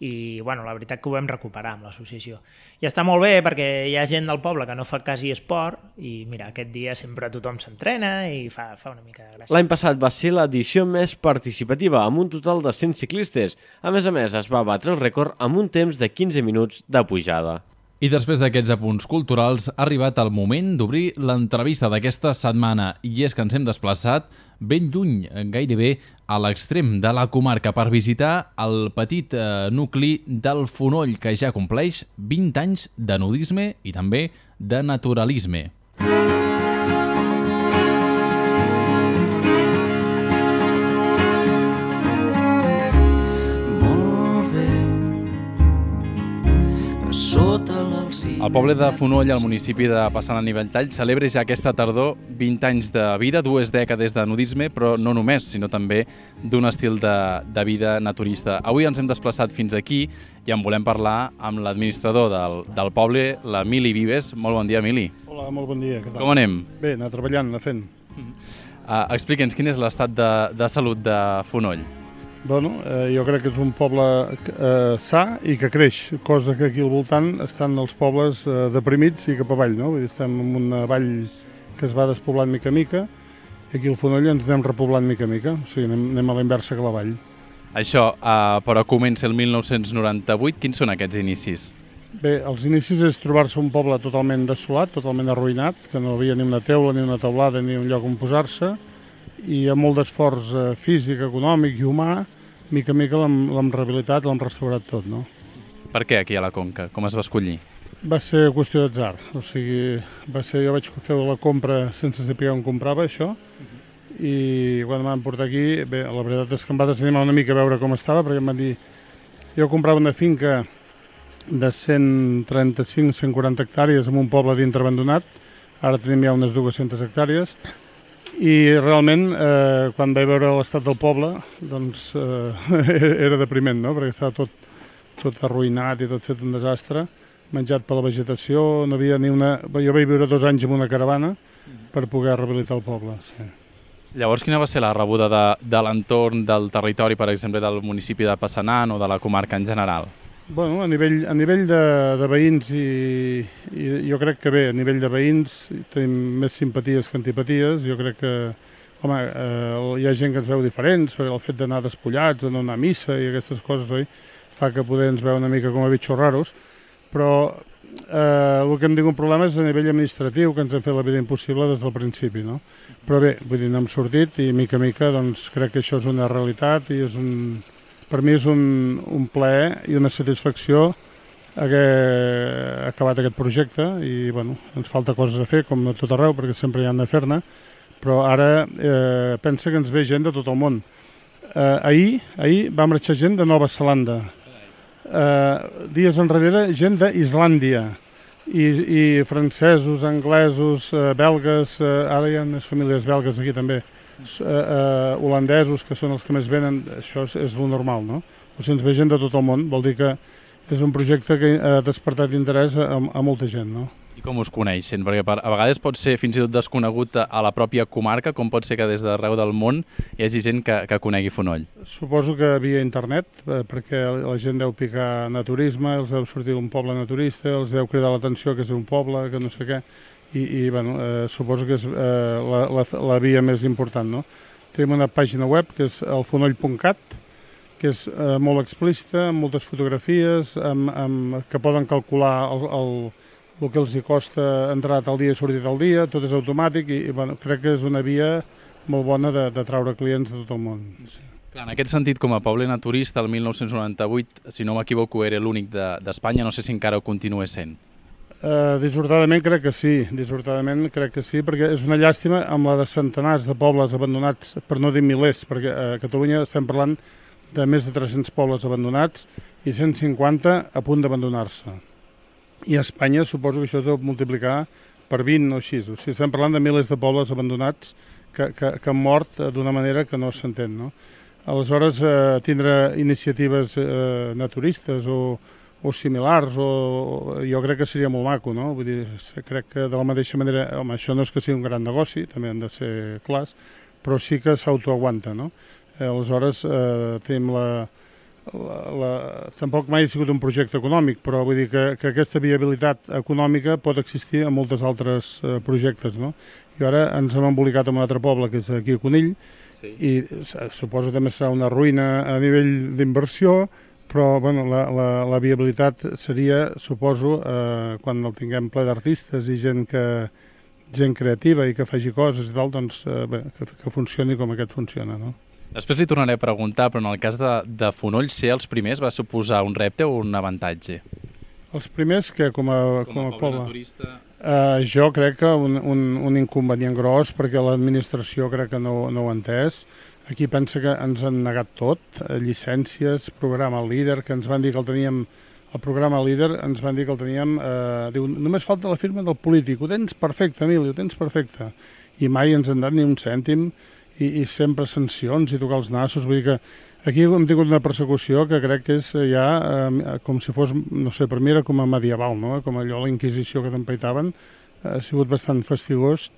i bueno, la veritat que ho vam recuperar amb l'associació. I està molt bé perquè hi ha gent del poble que no fa quasi esport i mira, aquest dia sempre tothom s'entrena i fa, fa una mica de gràcia. L'any passat va ser l'edició més participativa, amb un total de cent ciclistes. A més a més, es va batre el rècord amb un temps de quinze minuts de pujada. I després d'aquests apunts culturals ha arribat el moment d'obrir l'entrevista d'aquesta setmana i és que ens hem desplaçat ben lluny, gairebé a l'extrem de la comarca per visitar el petit eh, nucli del Fonoll que ja compleix vint anys de nudisme i també de naturalisme. El poble de Fonoll, al municipi de Passant a Nivelltall, celebra ja aquesta tardor vint anys de vida, dues dècades de nudisme, però no només, sinó també d'un estil de, de vida naturista. Avui ens hem desplaçat fins aquí i en volem parlar amb l'administrador del, del poble, l'Emili Vives. Molt bon dia, Emili. Hola, molt bon dia. Què tal? Com anem? Bé, anar treballant, anar fent. Uh, Explica'ns, quin és l'estat de, de salut de Fonoll? Bueno, eh, jo crec que és un poble eh, sa i que creix, cosa que aquí al voltant estan els pobles eh, deprimits i cap avall, no? Vull dir, estem en una vall que es va despoblant mica a mica i aquí al Fonoll ens anem repoblant mica a mica, o sigui, anem, anem a la inversa que la vall. Això, uh, però comença el mil nou-cents noranta-vuit, quins són aquests inicis? Bé, els inicis és trobar-se un poble totalment desolat, totalment arruïnat, que no havia ni una teula, ni una teulada, ni un lloc on posar-se, i amb molt d'esforç eh, físic, econòmic i humà, mica a mica l'hem rehabilitat, l'hem restaurat tot, no? Per què aquí a la Conca? Com es va escollir? Va ser qüestió d'atzar, o sigui, va ser, jo vaig fer la compra sense saber on comprava això, i quan em van portar aquí, bé, la veritat és que em va desanimar una mica a veure com estava, perquè em van dir, jo comprava una finca de cent trenta-cinc a cent quaranta hectàrees en un poble dintre abandonat, ara tenim ja unes dues-centes hectàrees, i realment, eh, quan vaig veure l'estat del poble, doncs eh, era depriment, no? Perquè estava tot, tot arruïnat i tot fet un desastre, menjat per la vegetació, no havia ni una... Jo vaig viure dos anys en una caravana per poder rehabilitar el poble, sí. Llavors, quina va ser la rebuda de, de l'entorn del territori, per exemple, del municipi de Passanant o de la comarca en general? Bueno, a nivell, a nivell de, de veïns i, i jo crec que bé, a nivell de veïns tenim més simpaties que antipaties. Jo crec que, home, eh, hi ha gent que ens veu diferents, perquè el fet d'anar despullats, de no anar a missa i aquestes coses, oi, fa que poder ens veu una mica com a bitxos raros, però eh, el que hem tingut problema és a nivell administratiu, que ens han fet la vida impossible des del principi, no? Però bé, vull dir, n'hem sortit i mica a mica doncs, crec que això és una realitat i és un... Per mi és un, un plaer i una satisfacció haver acabat aquest projecte i bueno, ens falta coses a fer, com a tot arreu, perquè sempre hi han de fer-ne, però ara eh, pensa que ens ve gent de tot el món. Eh, ahir, ahir va marxar gent de Nova Zelanda, eh, dies enrere gent d'Islàndia, i, i francesos, anglesos, eh, belgues, eh, ara hi ha unes famílies belgues aquí també, Uh, uh, holandesos, que són els que més venen, això és, és lo normal, no? O sigui, ens ve gent de tot el món, vol dir que és un projecte que ha despertat interès a, a molta gent, no? I com us coneixen? Perquè per, a vegades pot ser fins i tot desconegut a la pròpia comarca, com pot ser que des d'arreu del món hi hagi gent que, que conegui Fonoll. Suposo que via internet, eh, perquè la gent deu picar naturisme, els deu sortir d'un poble naturista, els deu cridar l'atenció que és un poble, que no sé què, i, i bueno, eh, suposo que és eh, la, la, la via més important, no? Tenim una pàgina web que és el fonoll punt cat, que és eh, molt explícita, amb moltes fotografies, amb, amb, que poden calcular el, el, el que els hi costa entrar tal dia i sortir tal dia, tot és automàtic i, i bueno, crec que és una via molt bona de, de traure clients de tot el món. Sí. Clar, en aquest sentit, com a poble naturista, el mil nou-cents noranta-vuit, si no m'equivoco, era l'únic d'Espanya, no sé si encara ho continua sent. Uh, dissortadament crec que sí, dissortadament crec que sí, perquè és una llàstima amb la de centenars de pobles abandonats, per no dir milers, perquè a Catalunya estem parlant de més de tres-cents pobles abandonats i cent cinquanta a punt d'abandonar-se. I a Espanya suposo que això es deu multiplicar per vint o així, o sigui, estem parlant de milers de pobles abandonats que, que, que han mort d'una manera que no s'entén, no? Aleshores, eh, tindre iniciatives eh, naturistes o o similars, o jo crec que seria molt maco, no? Vull dir, crec que de la mateixa manera, home, això no és que sigui un gran negoci, també han de ser clars, però sí que s'autoaguanta, no? Eh, aleshores, eh, tenim la, la, la, tampoc mai ha sigut un projecte econòmic, però vull dir que, que aquesta viabilitat econòmica pot existir en moltes altres eh, projectes, no? I ara ens hem embolicat en un altre poble, que és aquí a Conill, sí. I suposo també serà una ruïna a nivell d'inversió, però bueno, la, la, la viabilitat seria, suposo, eh, quan el tinguem ple d'artistes i gent que gent creativa i que faci coses i tal, doncs eh, bé, que, que funcioni com aquest funciona, no? Després li tornaré a preguntar, però en el cas de, de Fonoll, ser els primers va suposar un repte o un avantatge? Els primers, que com a, com com a a poble poble? turista... Uh, jo crec que un, un, un inconvenient gros, perquè l'administració crec que no, no ho ha entès. Aquí pensa que ens han negat tot, eh, llicències, programa líder, que ens van dir que el teníem, el programa líder ens van dir que el teníem, eh, diu, només falta la firma del polític, ho tens perfecte, Emili, ho tens perfecte. I mai ens han dat ni un cèntim, i, i sempre sancions i tocar els nassos, vull dir que aquí hem tingut una persecució que crec que és ja eh, com si fos, no sé, per mi era com a medieval, no? Com allò, la Inquisició que t'empaitaven, ha sigut bastant fastigós,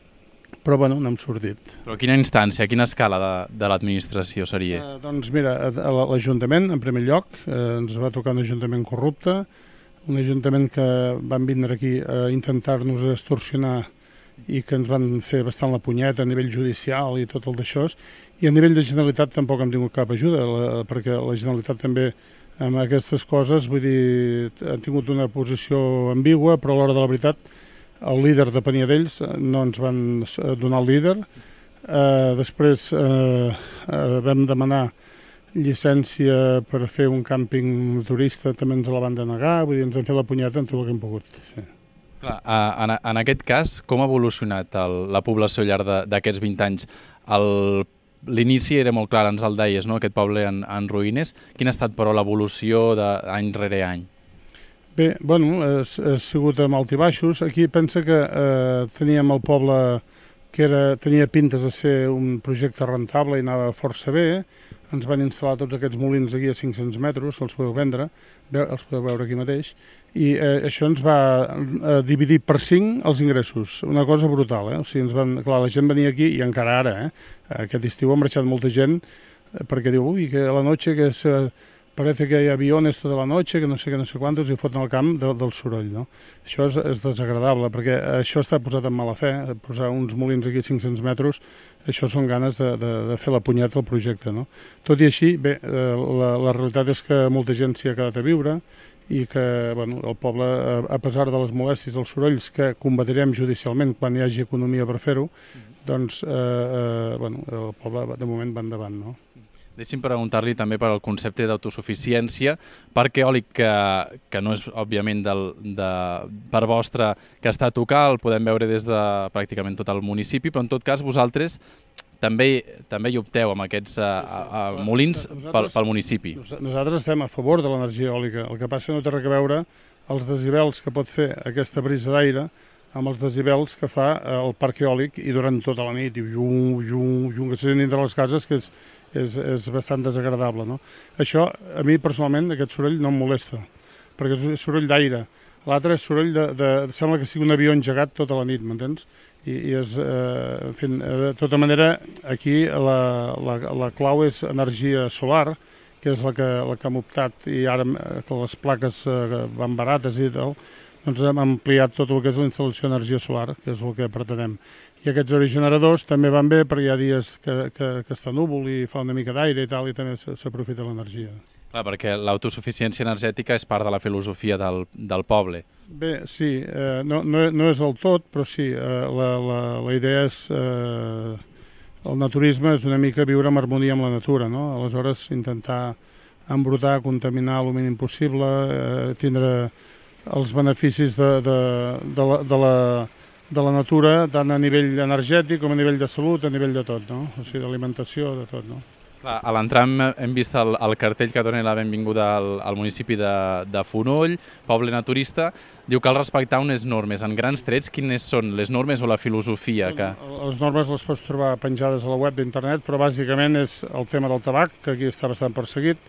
però bueno, n'hem sortit. Però quina instància, quina escala de, de l'administració seria? Eh, doncs mira, l'Ajuntament, en primer lloc, eh, ens va tocar un ajuntament corrupte, un ajuntament que van vindre aquí a intentar-nos extorsionar i que ens van fer bastant la punyeta a nivell judicial i tot el d'això, i a nivell de Generalitat tampoc hem tingut cap ajuda, la, perquè la Generalitat també amb aquestes coses, vull dir, ha tingut una posició ambigua, però a l'hora de la veritat el líder depenia d'ells, no ens van donar el líder. Eh, després eh, eh, vam demanar llicència per fer un càmping turista, també ens la van denegar, vull dir, ens han fet la punyeta en tot el que hem pogut. Sí. Clar, en, en aquest cas, com ha evolucionat el, la població al llarg d'aquests vint anys? L'inici era molt clar, ens el deies, no? Aquest poble en, en ruïnes. Quina ha estat, però, l'evolució d'any rere any? Bé, bueno, ha, ha sigut amb alt i baixos. Aquí pensa que eh, teníem el poble que era, tenia pintes de ser un projecte rentable i anava força bé. Ens van instal·lar tots aquests molins aquí a cinc-cents metres, els podeu vendre, els podeu veure aquí mateix, i eh, això ens va eh, dividir per cinc els ingressos, una cosa brutal, eh? O sigui, ens van, clar, la gent venia aquí, i encara ara, eh? Aquest estiu ha marxat molta gent, eh, perquè diu, ui, que a la noche que se... parece que hi ha aviones tota la noche, que no sé què, no sé quantos, i foten al camp de, del soroll, no? Això és, és desagradable, perquè això està posat en mala fe, posar uns molins aquí a cinc-cents metres, això són ganes de, de, de fer la punyeta al projecte, no? Tot i així, bé, la, la realitat és que molta gent s'hi ha quedat a viure i que, bueno, el poble, a pesar de les molèsties dels sorolls que combatirem judicialment quan hi hagi economia per fer-ho, doncs, eh, eh, bueno, el poble de moment va endavant, no? Deixi'm preguntar-li també per al concepte d'autosuficiència, parc eòlic que, que no és, òbviament, del, de, per vostre, que està a tocar, el podem veure des de pràcticament tot el municipi, però en tot cas vosaltres també, també hi opteu amb aquests a, a, a molins pel, pel municipi. Nosaltres estem a favor de l'energia eòlica, el que passa que no té res a veure els decibels que pot fer aquesta brisa d'aire amb els decibels que fa el parc eòlic i durant tota la nit, i llum, llum, llum, que se sent dintre les cases, que és És, és bastant desagradable, no? Això, a mi personalment, aquest soroll no em molesta, perquè és soroll d'aire. L'altre és soroll de, de... sembla que sigui un avió engegat tota la nit, m'entens? I, i és, eh, en fi, de tota manera, aquí la, la, la clau és energia solar, que és la que, la que hem optat, i ara que les plaques eh, van barates i tal, doncs hem ampliat tot el que és la instal·lació d'energia solar, que és el que pretenem. I aquests aerogeneradors també van bé perquè hi ha dies que, que, que està núvol i fa una mica d'aire i tal, i també s'aprofita l'energia. Clar, perquè l'autosuficiència energètica és part de la filosofia del, del poble. Bé, sí, eh, no, no, no és el tot, però sí, eh, la, la, la idea és... Eh, el naturisme és una mica viure en harmonia amb la natura, no? Aleshores, intentar embrutar, contaminar el mínim possible, eh, tindre els beneficis de, de, de la... De la de la natura, tant a nivell energètic com a nivell de salut, a nivell de tot, no? O sigui, d'alimentació, de tot, no? Clar, a l'entrar hem, hem vist el, el cartell que dona la benvinguda al, al municipi de, de Fonoll, poble naturista. Diu que cal respectar unes normes. En grans trets, quines són les normes o la filosofia? Que... Les normes les pots trobar penjades a la web d'internet, però bàsicament és el tema del tabac, que aquí està bastant perseguit,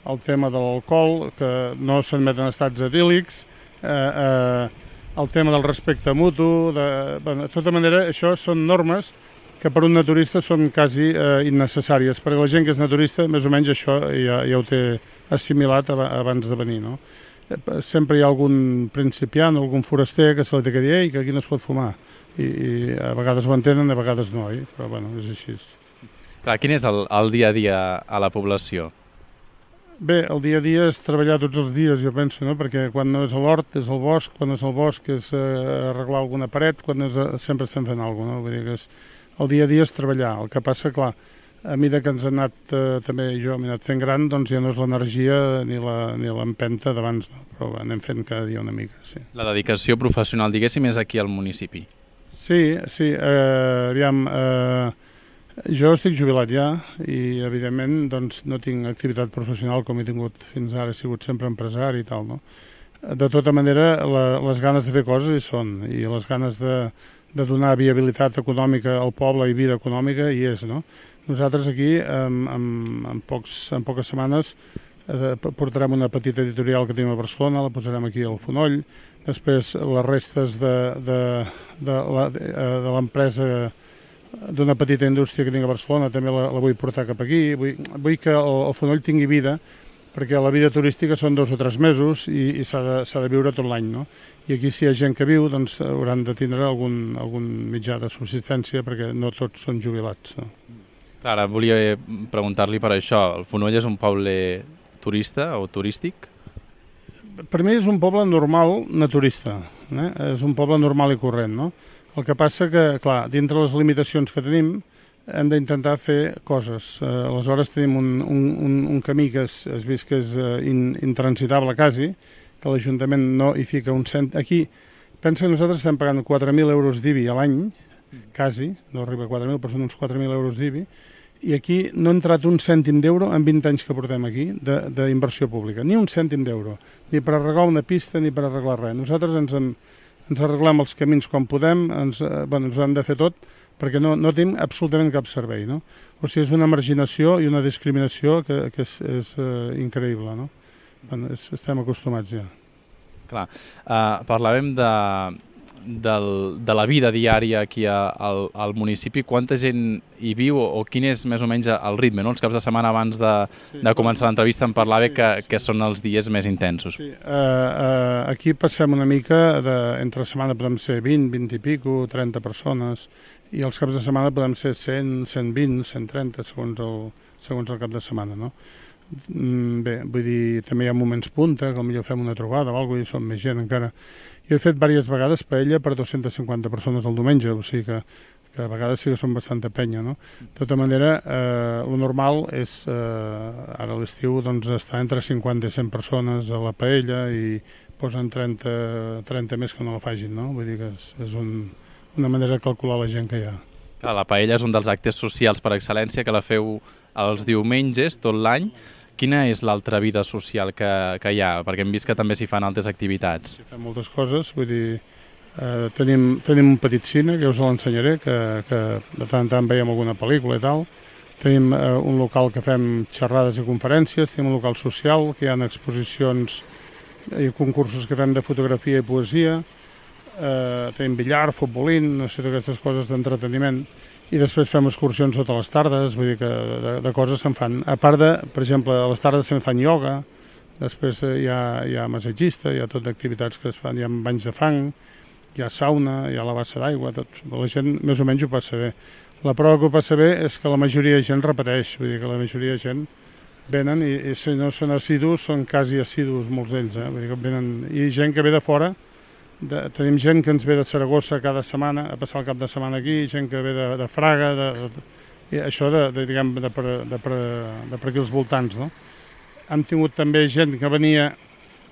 el tema de l'alcohol, que no s'admeten estats etílics, eh, eh, el tema del respecte mutu, de, bueno, de tota manera, això són normes que que per un naturista són quasi eh, innecessàries, perquè la gent que és naturista més o menys això ja, ja ho té assimilat abans de venir, no? Sempre hi ha algun principiant, algun foraster que se li té que dir ei, que aquí no es pot fumar, i, i a vegades ho entenen, a vegades no, eh? Però bueno, és així. Clar, quin és el, el dia a dia a la població? Bé, el dia a dia és treballar tots els dies, jo penso, no? Perquè quan no és a l'hort és al bosc, quan no és al bosc és eh, arreglar alguna paret, quan és a... sempre estem fent alguna cosa, no? Vull dir que és... el dia a dia és treballar. El que passa, clar, a mesura que ens ha anat, eh, també jo m'he anat fent gran, doncs ja no és l'energia ni l'empenta d'abans, no? Però anem fent cada dia una mica, sí. La dedicació professional, diguéssim, és aquí al municipi. Sí, sí, eh, aviam... Eh, jo estic jubilat ja i, evidentment, doncs, no tinc activitat professional com he tingut fins ara, he sigut sempre empresari i tal, no? De tota manera, la, les ganes de fer coses hi són, i les ganes de, de donar viabilitat econòmica al poble i vida econòmica hi és, no? Nosaltres aquí, en, en, en, pocs, en poques setmanes, eh, portarem una petita editorial que tenim a Barcelona, la posarem aquí al Fonoll, després les restes de, de, de, la, de l'empresa d'una petita indústria que tinc a Barcelona, també la, la vull portar cap aquí. Vull, vull que el, el Fonoll tingui vida, perquè la vida turística són dos o tres mesos i, i s'ha de, s'ha de viure tot l'any, no? I aquí si hi ha gent que viu, doncs hauran de tindre algun, algun mitjà de subsistència, perquè no tots són jubilats, no? Clar, ara volia preguntar-li per això. El Fonoll és un poble turista o turístic? Per mi és un poble normal naturista, eh? És un poble normal i corrent, no? El que passa que, clar, dintre les limitacions que tenim, hem d'intentar fer coses. Eh, aleshores tenim un, un, un camí que es, es vist que és eh, in, intransitable quasi, que l'Ajuntament no hi fica un cent... Aquí, pensa que nosaltres estem pagant quatre mil euros d'I B I a l'any, quasi, no arriba a quatre mil, però són uns quatre mil euros d'I B I, i aquí no ha entrat un cèntim d'euro en vint anys que portem aquí d'inversió pública, ni un cèntim d'euro, ni per arreglar una pista ni per arreglar res. Nosaltres ens, en, ens arreglem els camins quan podem, ens, eh, bueno, ens ho hem de fer tot, perquè no, no tenim absolutament cap servei, no? O sigui, és una marginació i una discriminació que, que és, és uh, increïble, no? Bueno, és, estem acostumats ja. Clar, uh, parlàvem de, del, de la vida diària aquí a, al, al municipi. Quanta gent hi viu o, o quin és més o menys el ritme, no? Els caps de setmana abans de, sí, de començar l'entrevista em parlava sí, que, sí. que són els dies més intensos. Sí. Uh, uh, aquí passem una mica, de, entre setmana podem ser vint, vint i pico, trenta persones, i els caps de setmana podem ser cent, cent vint, cent trenta, segons el, segons el cap de setmana, no? Bé, vull dir, també hi ha moments punta, com jo fem una trobada o alguna cosa, i som més gent encara. Jo he fet diverses vegades paella per dues-centes cinquanta persones el diumenge, o sigui que, que a vegades sí que són bastanta penya, no? De tota manera, eh, el normal és, eh, ara a l'estiu, doncs, estar entre cinquanta i cent persones a la paella i posen trenta, trenta més que no la facin, no? Vull dir que és, és un... una manera de calcular la gent que hi ha. Clar, la paella és un dels actes socials per excel·lència que la feu els diumenges tot l'any. Quina és l'altra vida social que, que hi ha? Perquè hem vist que també s'hi fan altres activitats. S'hi fan moltes coses, vull dir, eh, tenim, tenim un petit cine, que us l'ensenyaré, que, que de tant en tant veiem alguna pel·lícula i tal. Tenim eh, un local que fem xerrades i conferències, tenim un local social, que hi ha exposicions i concursos que fem de fotografia i poesia, eh, tenim billar, futbolín, no sé, aquestes coses d'entreteniment, i després fem excursions totes les tardes, vull dir que de, de coses se'n fan. A part de, per exemple, a les tardes se'n fan ioga, després hi ha, hi ha massatgista, hi ha tot d'activitats que es fan, hi ha banys de fang, hi ha sauna, hi ha la bassa d'aigua, tot. La gent més o menys ho passa bé. La prova que ho passa bé és que la majoria de gent repeteix, vull dir que la majoria de gent venen i, i si no són assidus, són quasi assidus molts d'ells, eh? Vull dir que venen, i gent que ve de fora. De, tenim gent que ens ve de Saragossa cada setmana a passar el cap de setmana aquí, gent que ve de, de Fraga, de, de, i això de, de, diguem, de, per, de, per, de per aquí als voltants, no? Hem tingut també gent que venia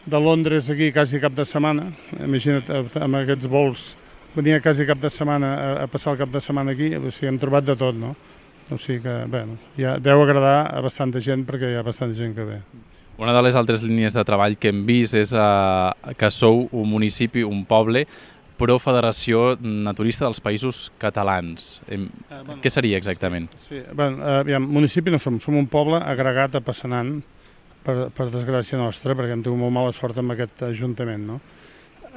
de Londres aquí quasi cap de setmana, imagina't, amb aquests vols, venia quasi cap de setmana a, a passar el cap de setmana aquí, o sigui, hem trobat de tot, no? O sigui que, bé, ja deu agradar a bastanta gent perquè hi ha bastanta gent que ve. Una de les altres línies de treball que hem vist és eh, que sou un municipi, un poble, però Federació Naturista dels Països Catalans. Eh, eh, bueno, què seria exactament? Sí, bueno, eh, aviam, municipi no som, som un poble agregat a Passanant, per, per desgràcia nostra, perquè hem tingut molt mala sort amb aquest ajuntament, no?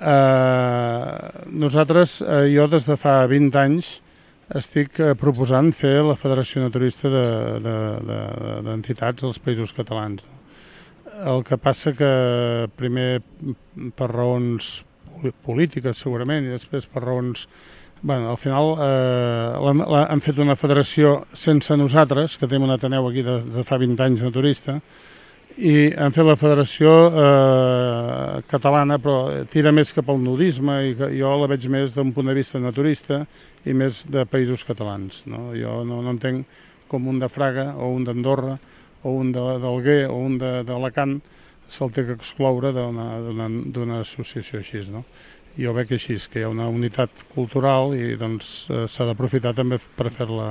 Eh, nosaltres, eh, jo des de fa vint anys, estic proposant fer la Federació Naturista d'Entitats dels Països Catalans. El que passa que primer per raons polítiques segurament i després per raons... Bueno, al final eh, han fet una federació sense nosaltres, que tenim un Ateneu aquí de, de fa vint anys naturista, i han fet la federació eh, catalana, però tira més cap al nudisme i que jo la veig més d'un punt de vista naturista i més de països catalans. No? Jo no, no entenc com un de Fraga o un d'Andorra o un d'Alguer o un d'Alacant se'l té que excloure d'una associació així. No? Jo veig així, que hi ha una unitat cultural i doncs s'ha d'aprofitar també per fer-la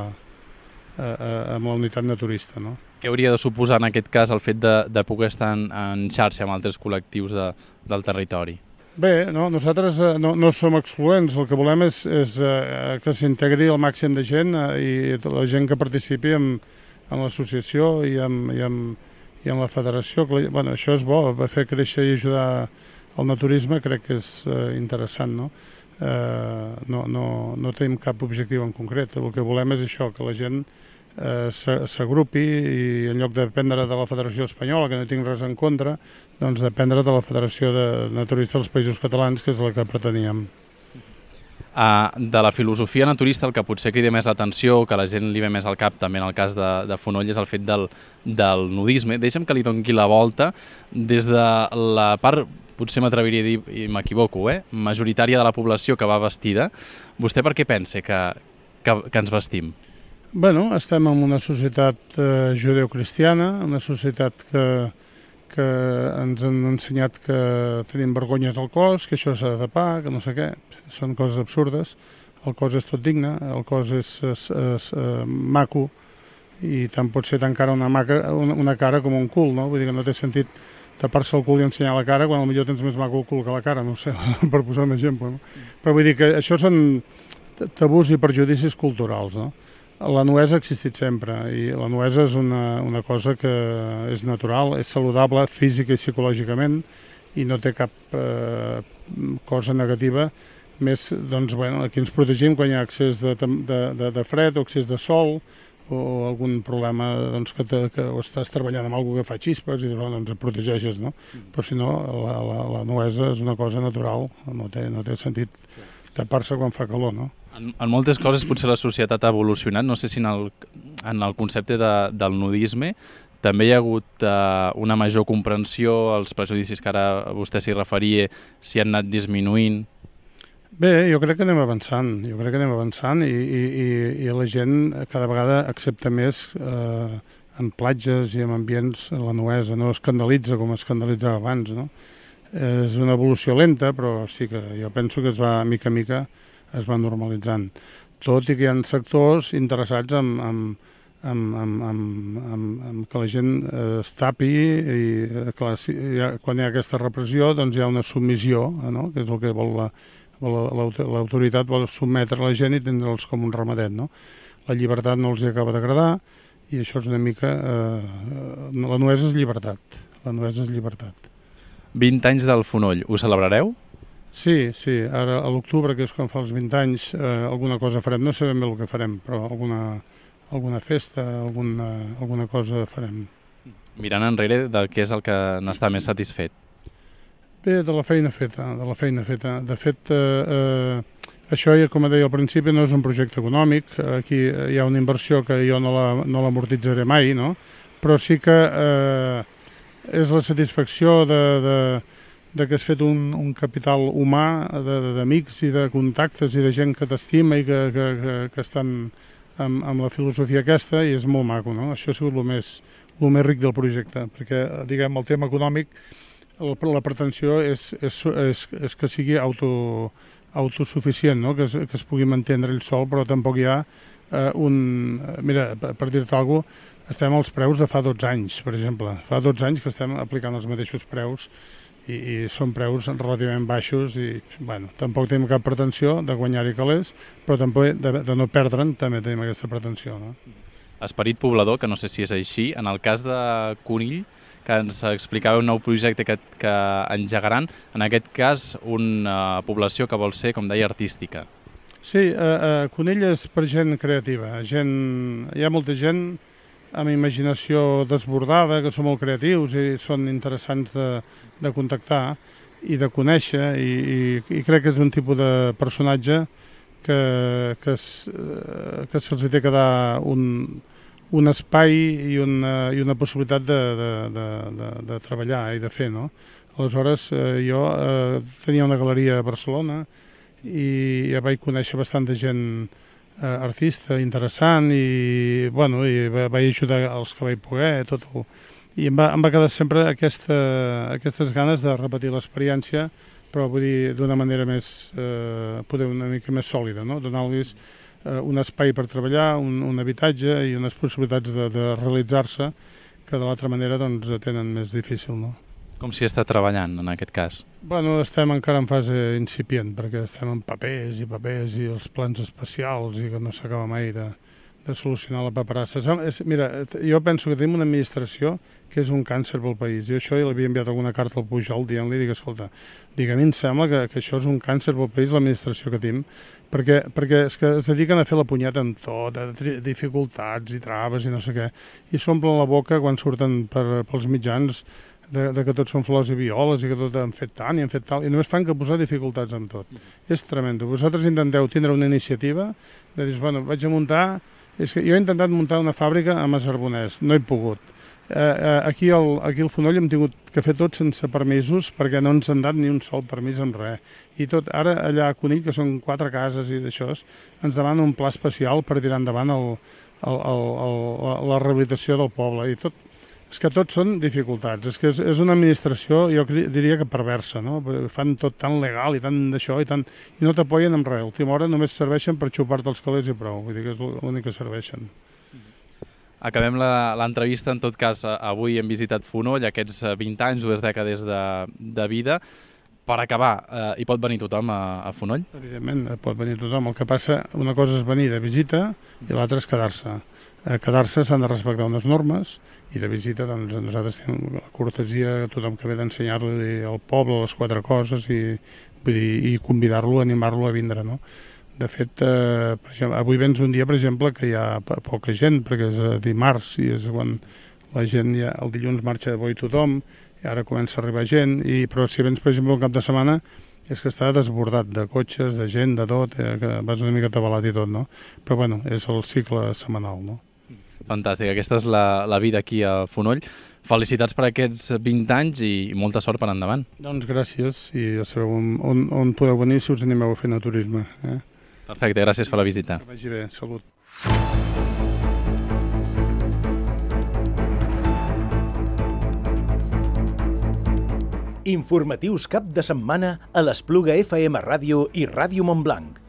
amb la unitat naturista. No? Què hauria de suposar en aquest cas el fet de, de poder estar en, en xarxa amb altres col·lectius de, del territori? Bé, no, nosaltres no, no som excloents, el que volem és, és eh, que s'integri el màxim de gent eh, i la gent que participi en, en l'associació i, i, i en la federació. Bueno, això és bo, fer créixer i ajudar el naturisme crec que és eh, interessant, no? Eh, no, no, no tenim cap objectiu en concret, el que volem és això, que la gent eh, s'agrupi i en lloc de dependre de la Federació Espanyola, que no tinc res en contra, doncs dependre de la Federació de Naturistes dels Països Catalans, que és la que preteníem. Uh, de la filosofia naturista, el que potser crida més l'atenció, que a la gent li ve més al cap, també en el cas de, de Fonoll, és el fet del, del nudisme. Deixa'm que li doni la volta des de la part, potser m'atreviria a dir, i m'equivoco, eh? majoritària de la població que va vestida. Vostè per què pensa que, que, que ens vestim? Bueno, estem en una societat eh, judeocristiana, una societat que, que ens han ensenyat que tenim vergonyes al cos, que això s'ha de tapar, que no sé què. Són coses absurdes. El cos és tot digne, el cos és, és, és eh, maco i tant pot ser tan cara una, maca, una, una cara com un cul, no? Vull dir que no té sentit tapar-se el cul i ensenyar la cara quan potser tens més maco el cul que la cara, no ho sé, per posar un exemple. No? Però vull dir que això són tabús i perjudicis culturals, no? La nuesa ha existit sempre i la nuesa és una, una cosa que és natural, és saludable física i psicològicament i no té cap eh, cosa negativa. Més, doncs, bueno, aquí ens protegim quan hi ha excés de, de, de, de fred o excés de sol o algun problema doncs, que, te, que o estàs treballant amb alguna que fa xispes i doncs et protegeixes, no? Però si no, la, la, la nuesa és una cosa natural, no té, no té sentit tapar-se quan fa calor, no? En, en moltes coses potser la societat ha evolucionat, no sé si en el, en el concepte de, del nudisme també hi ha hagut uh, una major comprensió, els prejudicis que ara vostè s'hi referia, si han anat disminuint. Bé, jo crec que anem avançant, jo crec que anem avançant i, i, i, i la gent cada vegada accepta més eh, en platges i en ambients la nuesa, no escandalitza com escandalitzava abans, no? És una evolució lenta, però sí que jo penso que es va, mica a mica, es va normalitzant. Tot i que hi ha sectors interessats en, en, en, en, en, en, en que la gent eh, es tapi i clar, si, ha, quan hi ha aquesta repressió doncs hi ha una submissió, no? Que és el que vol la, l'autoritat vol sotmetre la gent i tindre'ls com un ramadet, no? La llibertat no els hi acaba d'agradar i això és una mica... Eh, la nuesa és llibertat, la nuesa és llibertat. vint anys del Fonoll, ho celebrareu? Sí, sí, ara a l'octubre, que és quan fa els vint anys, eh, alguna cosa farem, no sabem bé el que farem, però alguna, alguna festa, alguna, alguna cosa farem. Mirant enrere, de què és el que n'està més satisfet? Bé, de la feina feta, de la feina feta. De fet, eh, eh, això, com deia al principi, no és un projecte econòmic, aquí hi ha una inversió que jo no l'amortitzaré mai, no? Però sí que eh, és la satisfacció de... de de que has fet un, un capital humà d'amics i de contactes i de gent que t'estima i que, que, que, que estan amb, amb la filosofia aquesta i és molt maco, no? Això ha sigut el més, el més ric del projecte, perquè, diguem, el tema econòmic, el, la pretensió és, és, és, és que sigui auto, autosuficient, no? Que, es, que es pugui mantenir ell sol, però tampoc hi ha eh, un... Mira, per dir-te alguna cosa, estem als preus de fa dotze anys, per exemple. Fa dotze anys que estem aplicant els mateixos preus i, i són preus relativament baixos i, bueno, tampoc tenim cap pretensió de guanyar-hi calés, però tampoc de, de no perdre'n també tenim aquesta pretensió, no? Esperit poblador, que no sé si és així, en el cas de Conill, que ens explicava un nou projecte que, que engegaran, en aquest cas una població que vol ser, com deia, artística. Sí, uh, uh, Conill és per gent creativa. Gent, hi ha molta gent amb imaginació desbordada, que són molt creatius i són interessants de, de contactar i de conèixer, i, i, i crec que és un tipus de personatge que, que, es, que se'ls té que dar un, un espai i una, i una possibilitat de, de, de, de, de treballar i de fer, no? Aleshores, eh, jo eh, tenia una galeria a Barcelona i ja vaig conèixer bastanta gent eh, artista interessant i, bueno, i vaig ajudar els que vaig poder, tot el... i em va, em va quedar sempre aquesta, aquestes ganes de repetir l'experiència, però vull dir d'una manera més, eh, poder una mica més sòlida, no? Donar-los eh, un espai per treballar, un, un habitatge i unes possibilitats de, de realitzar-se que de l'altra manera doncs tenen més difícil, no? Com s'hi està treballant, en aquest cas? Bueno, estem encara en fase incipient, perquè estem en papers i papers i els plans especials i que no s'acaba mai de, de solucionar la paperassa. Mira, jo penso que tenim una administració que és un càncer pel país. Jo això ja l'havia enviat alguna carta al Pujol dient-li, dic, escolta, dic, a mi em sembla que, que això és un càncer pel país, l'administració que tenim, perquè, perquè és que es dediquen a fer la punyeta amb tot, a dificultats i traves i no sé què, i s'omplen la boca quan surten per, pels mitjans De, de que tots són flors i violes i que tot han fet tant i han fet tal, i només fan que posar dificultats en tot. Mm. És tremendo. Vosaltres intenteu tindre una iniciativa de dir, bueno, vaig a muntar... És que jo he intentat muntar una fàbrica a Masarbonès, no he pogut. Eh, eh, aquí, al, aquí al Fonoll hem tingut que fer tot sense permisos perquè no ens han dat ni un sol permís amb res. I tot, ara allà a Conill, que són quatre cases i d'això, ens demanen un pla especial per tirar endavant el, el, el, el, la rehabilitació del poble. I tot, és que tot són dificultats, és que és, és una administració, jo diria que perversa, no? Fan tot tan legal i tant d'això i, tant, i no t'apoyen amb res. A última hora només serveixen per xupar-te els calés i prou, vull dir que és l'únic que serveixen. Acabem l'entrevista, en tot cas, avui hem visitat Fonoll, aquests vint anys, dues dècades de, de vida. Per acabar, eh, hi pot venir tothom a, a Fonoll? Evidentment, pot venir tothom. El que passa, una cosa és venir de visita i l'altra és quedar-se. Eh, quedar-se s'han de respectar unes normes i de visita doncs, nosaltres tenim la cortesia a tothom que ve d'ensenyar-li al poble les quatre coses i, vull dir, i convidar-lo, animar-lo a vindre, no? De fet, eh, per exemple, avui vens un dia, per exemple, que hi ha poca gent, perquè és dimarts i és quan la gent ja, el dilluns marxa de bo i tothom, i ara comença a arribar gent, i, però si vens, per exemple, un cap de setmana, és que està desbordat de cotxes, de gent, de tot, eh, que vas una mica atabalat i tot, no? Però, bueno, és el cicle setmanal, no? Fantàstic, aquesta és la, la vida aquí a Fonoll. Felicitats per aquests vint anys i molta sort per endavant. Doncs gràcies, i ja sabeu on, on, on podeu venir si us animeu a fer naturisme. Eh? Perfecte, gràcies per la visita. Que vagi bé, salut. Informatius cap de setmana a l'Espluga F M Ràdio i Ràdio Montblanc.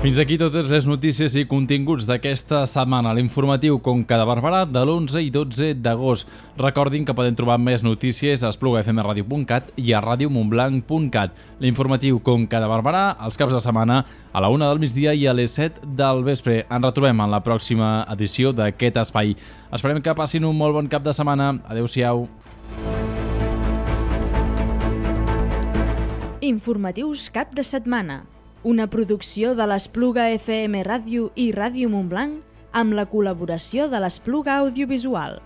Fins aquí totes les notícies i continguts d'aquesta setmana. L'informatiu Conca de Barberà de l'onze i dotze d'agost. Recordin que poden trobar més notícies a espluga f m radio punt cat i a radio montblanc punt cat. L'informatiu Conca de Barberà els caps de setmana a la una del migdia i a les set del vespre. Ens retrobem en la pròxima edició d'aquest espai. Esperem que passin un molt bon cap de setmana. Adéu-siau. Informatius cap de setmana. Una producció de l'Espluga F M Ràdio i Ràdio Montblanc amb la col·laboració de l'Espluga Audiovisual.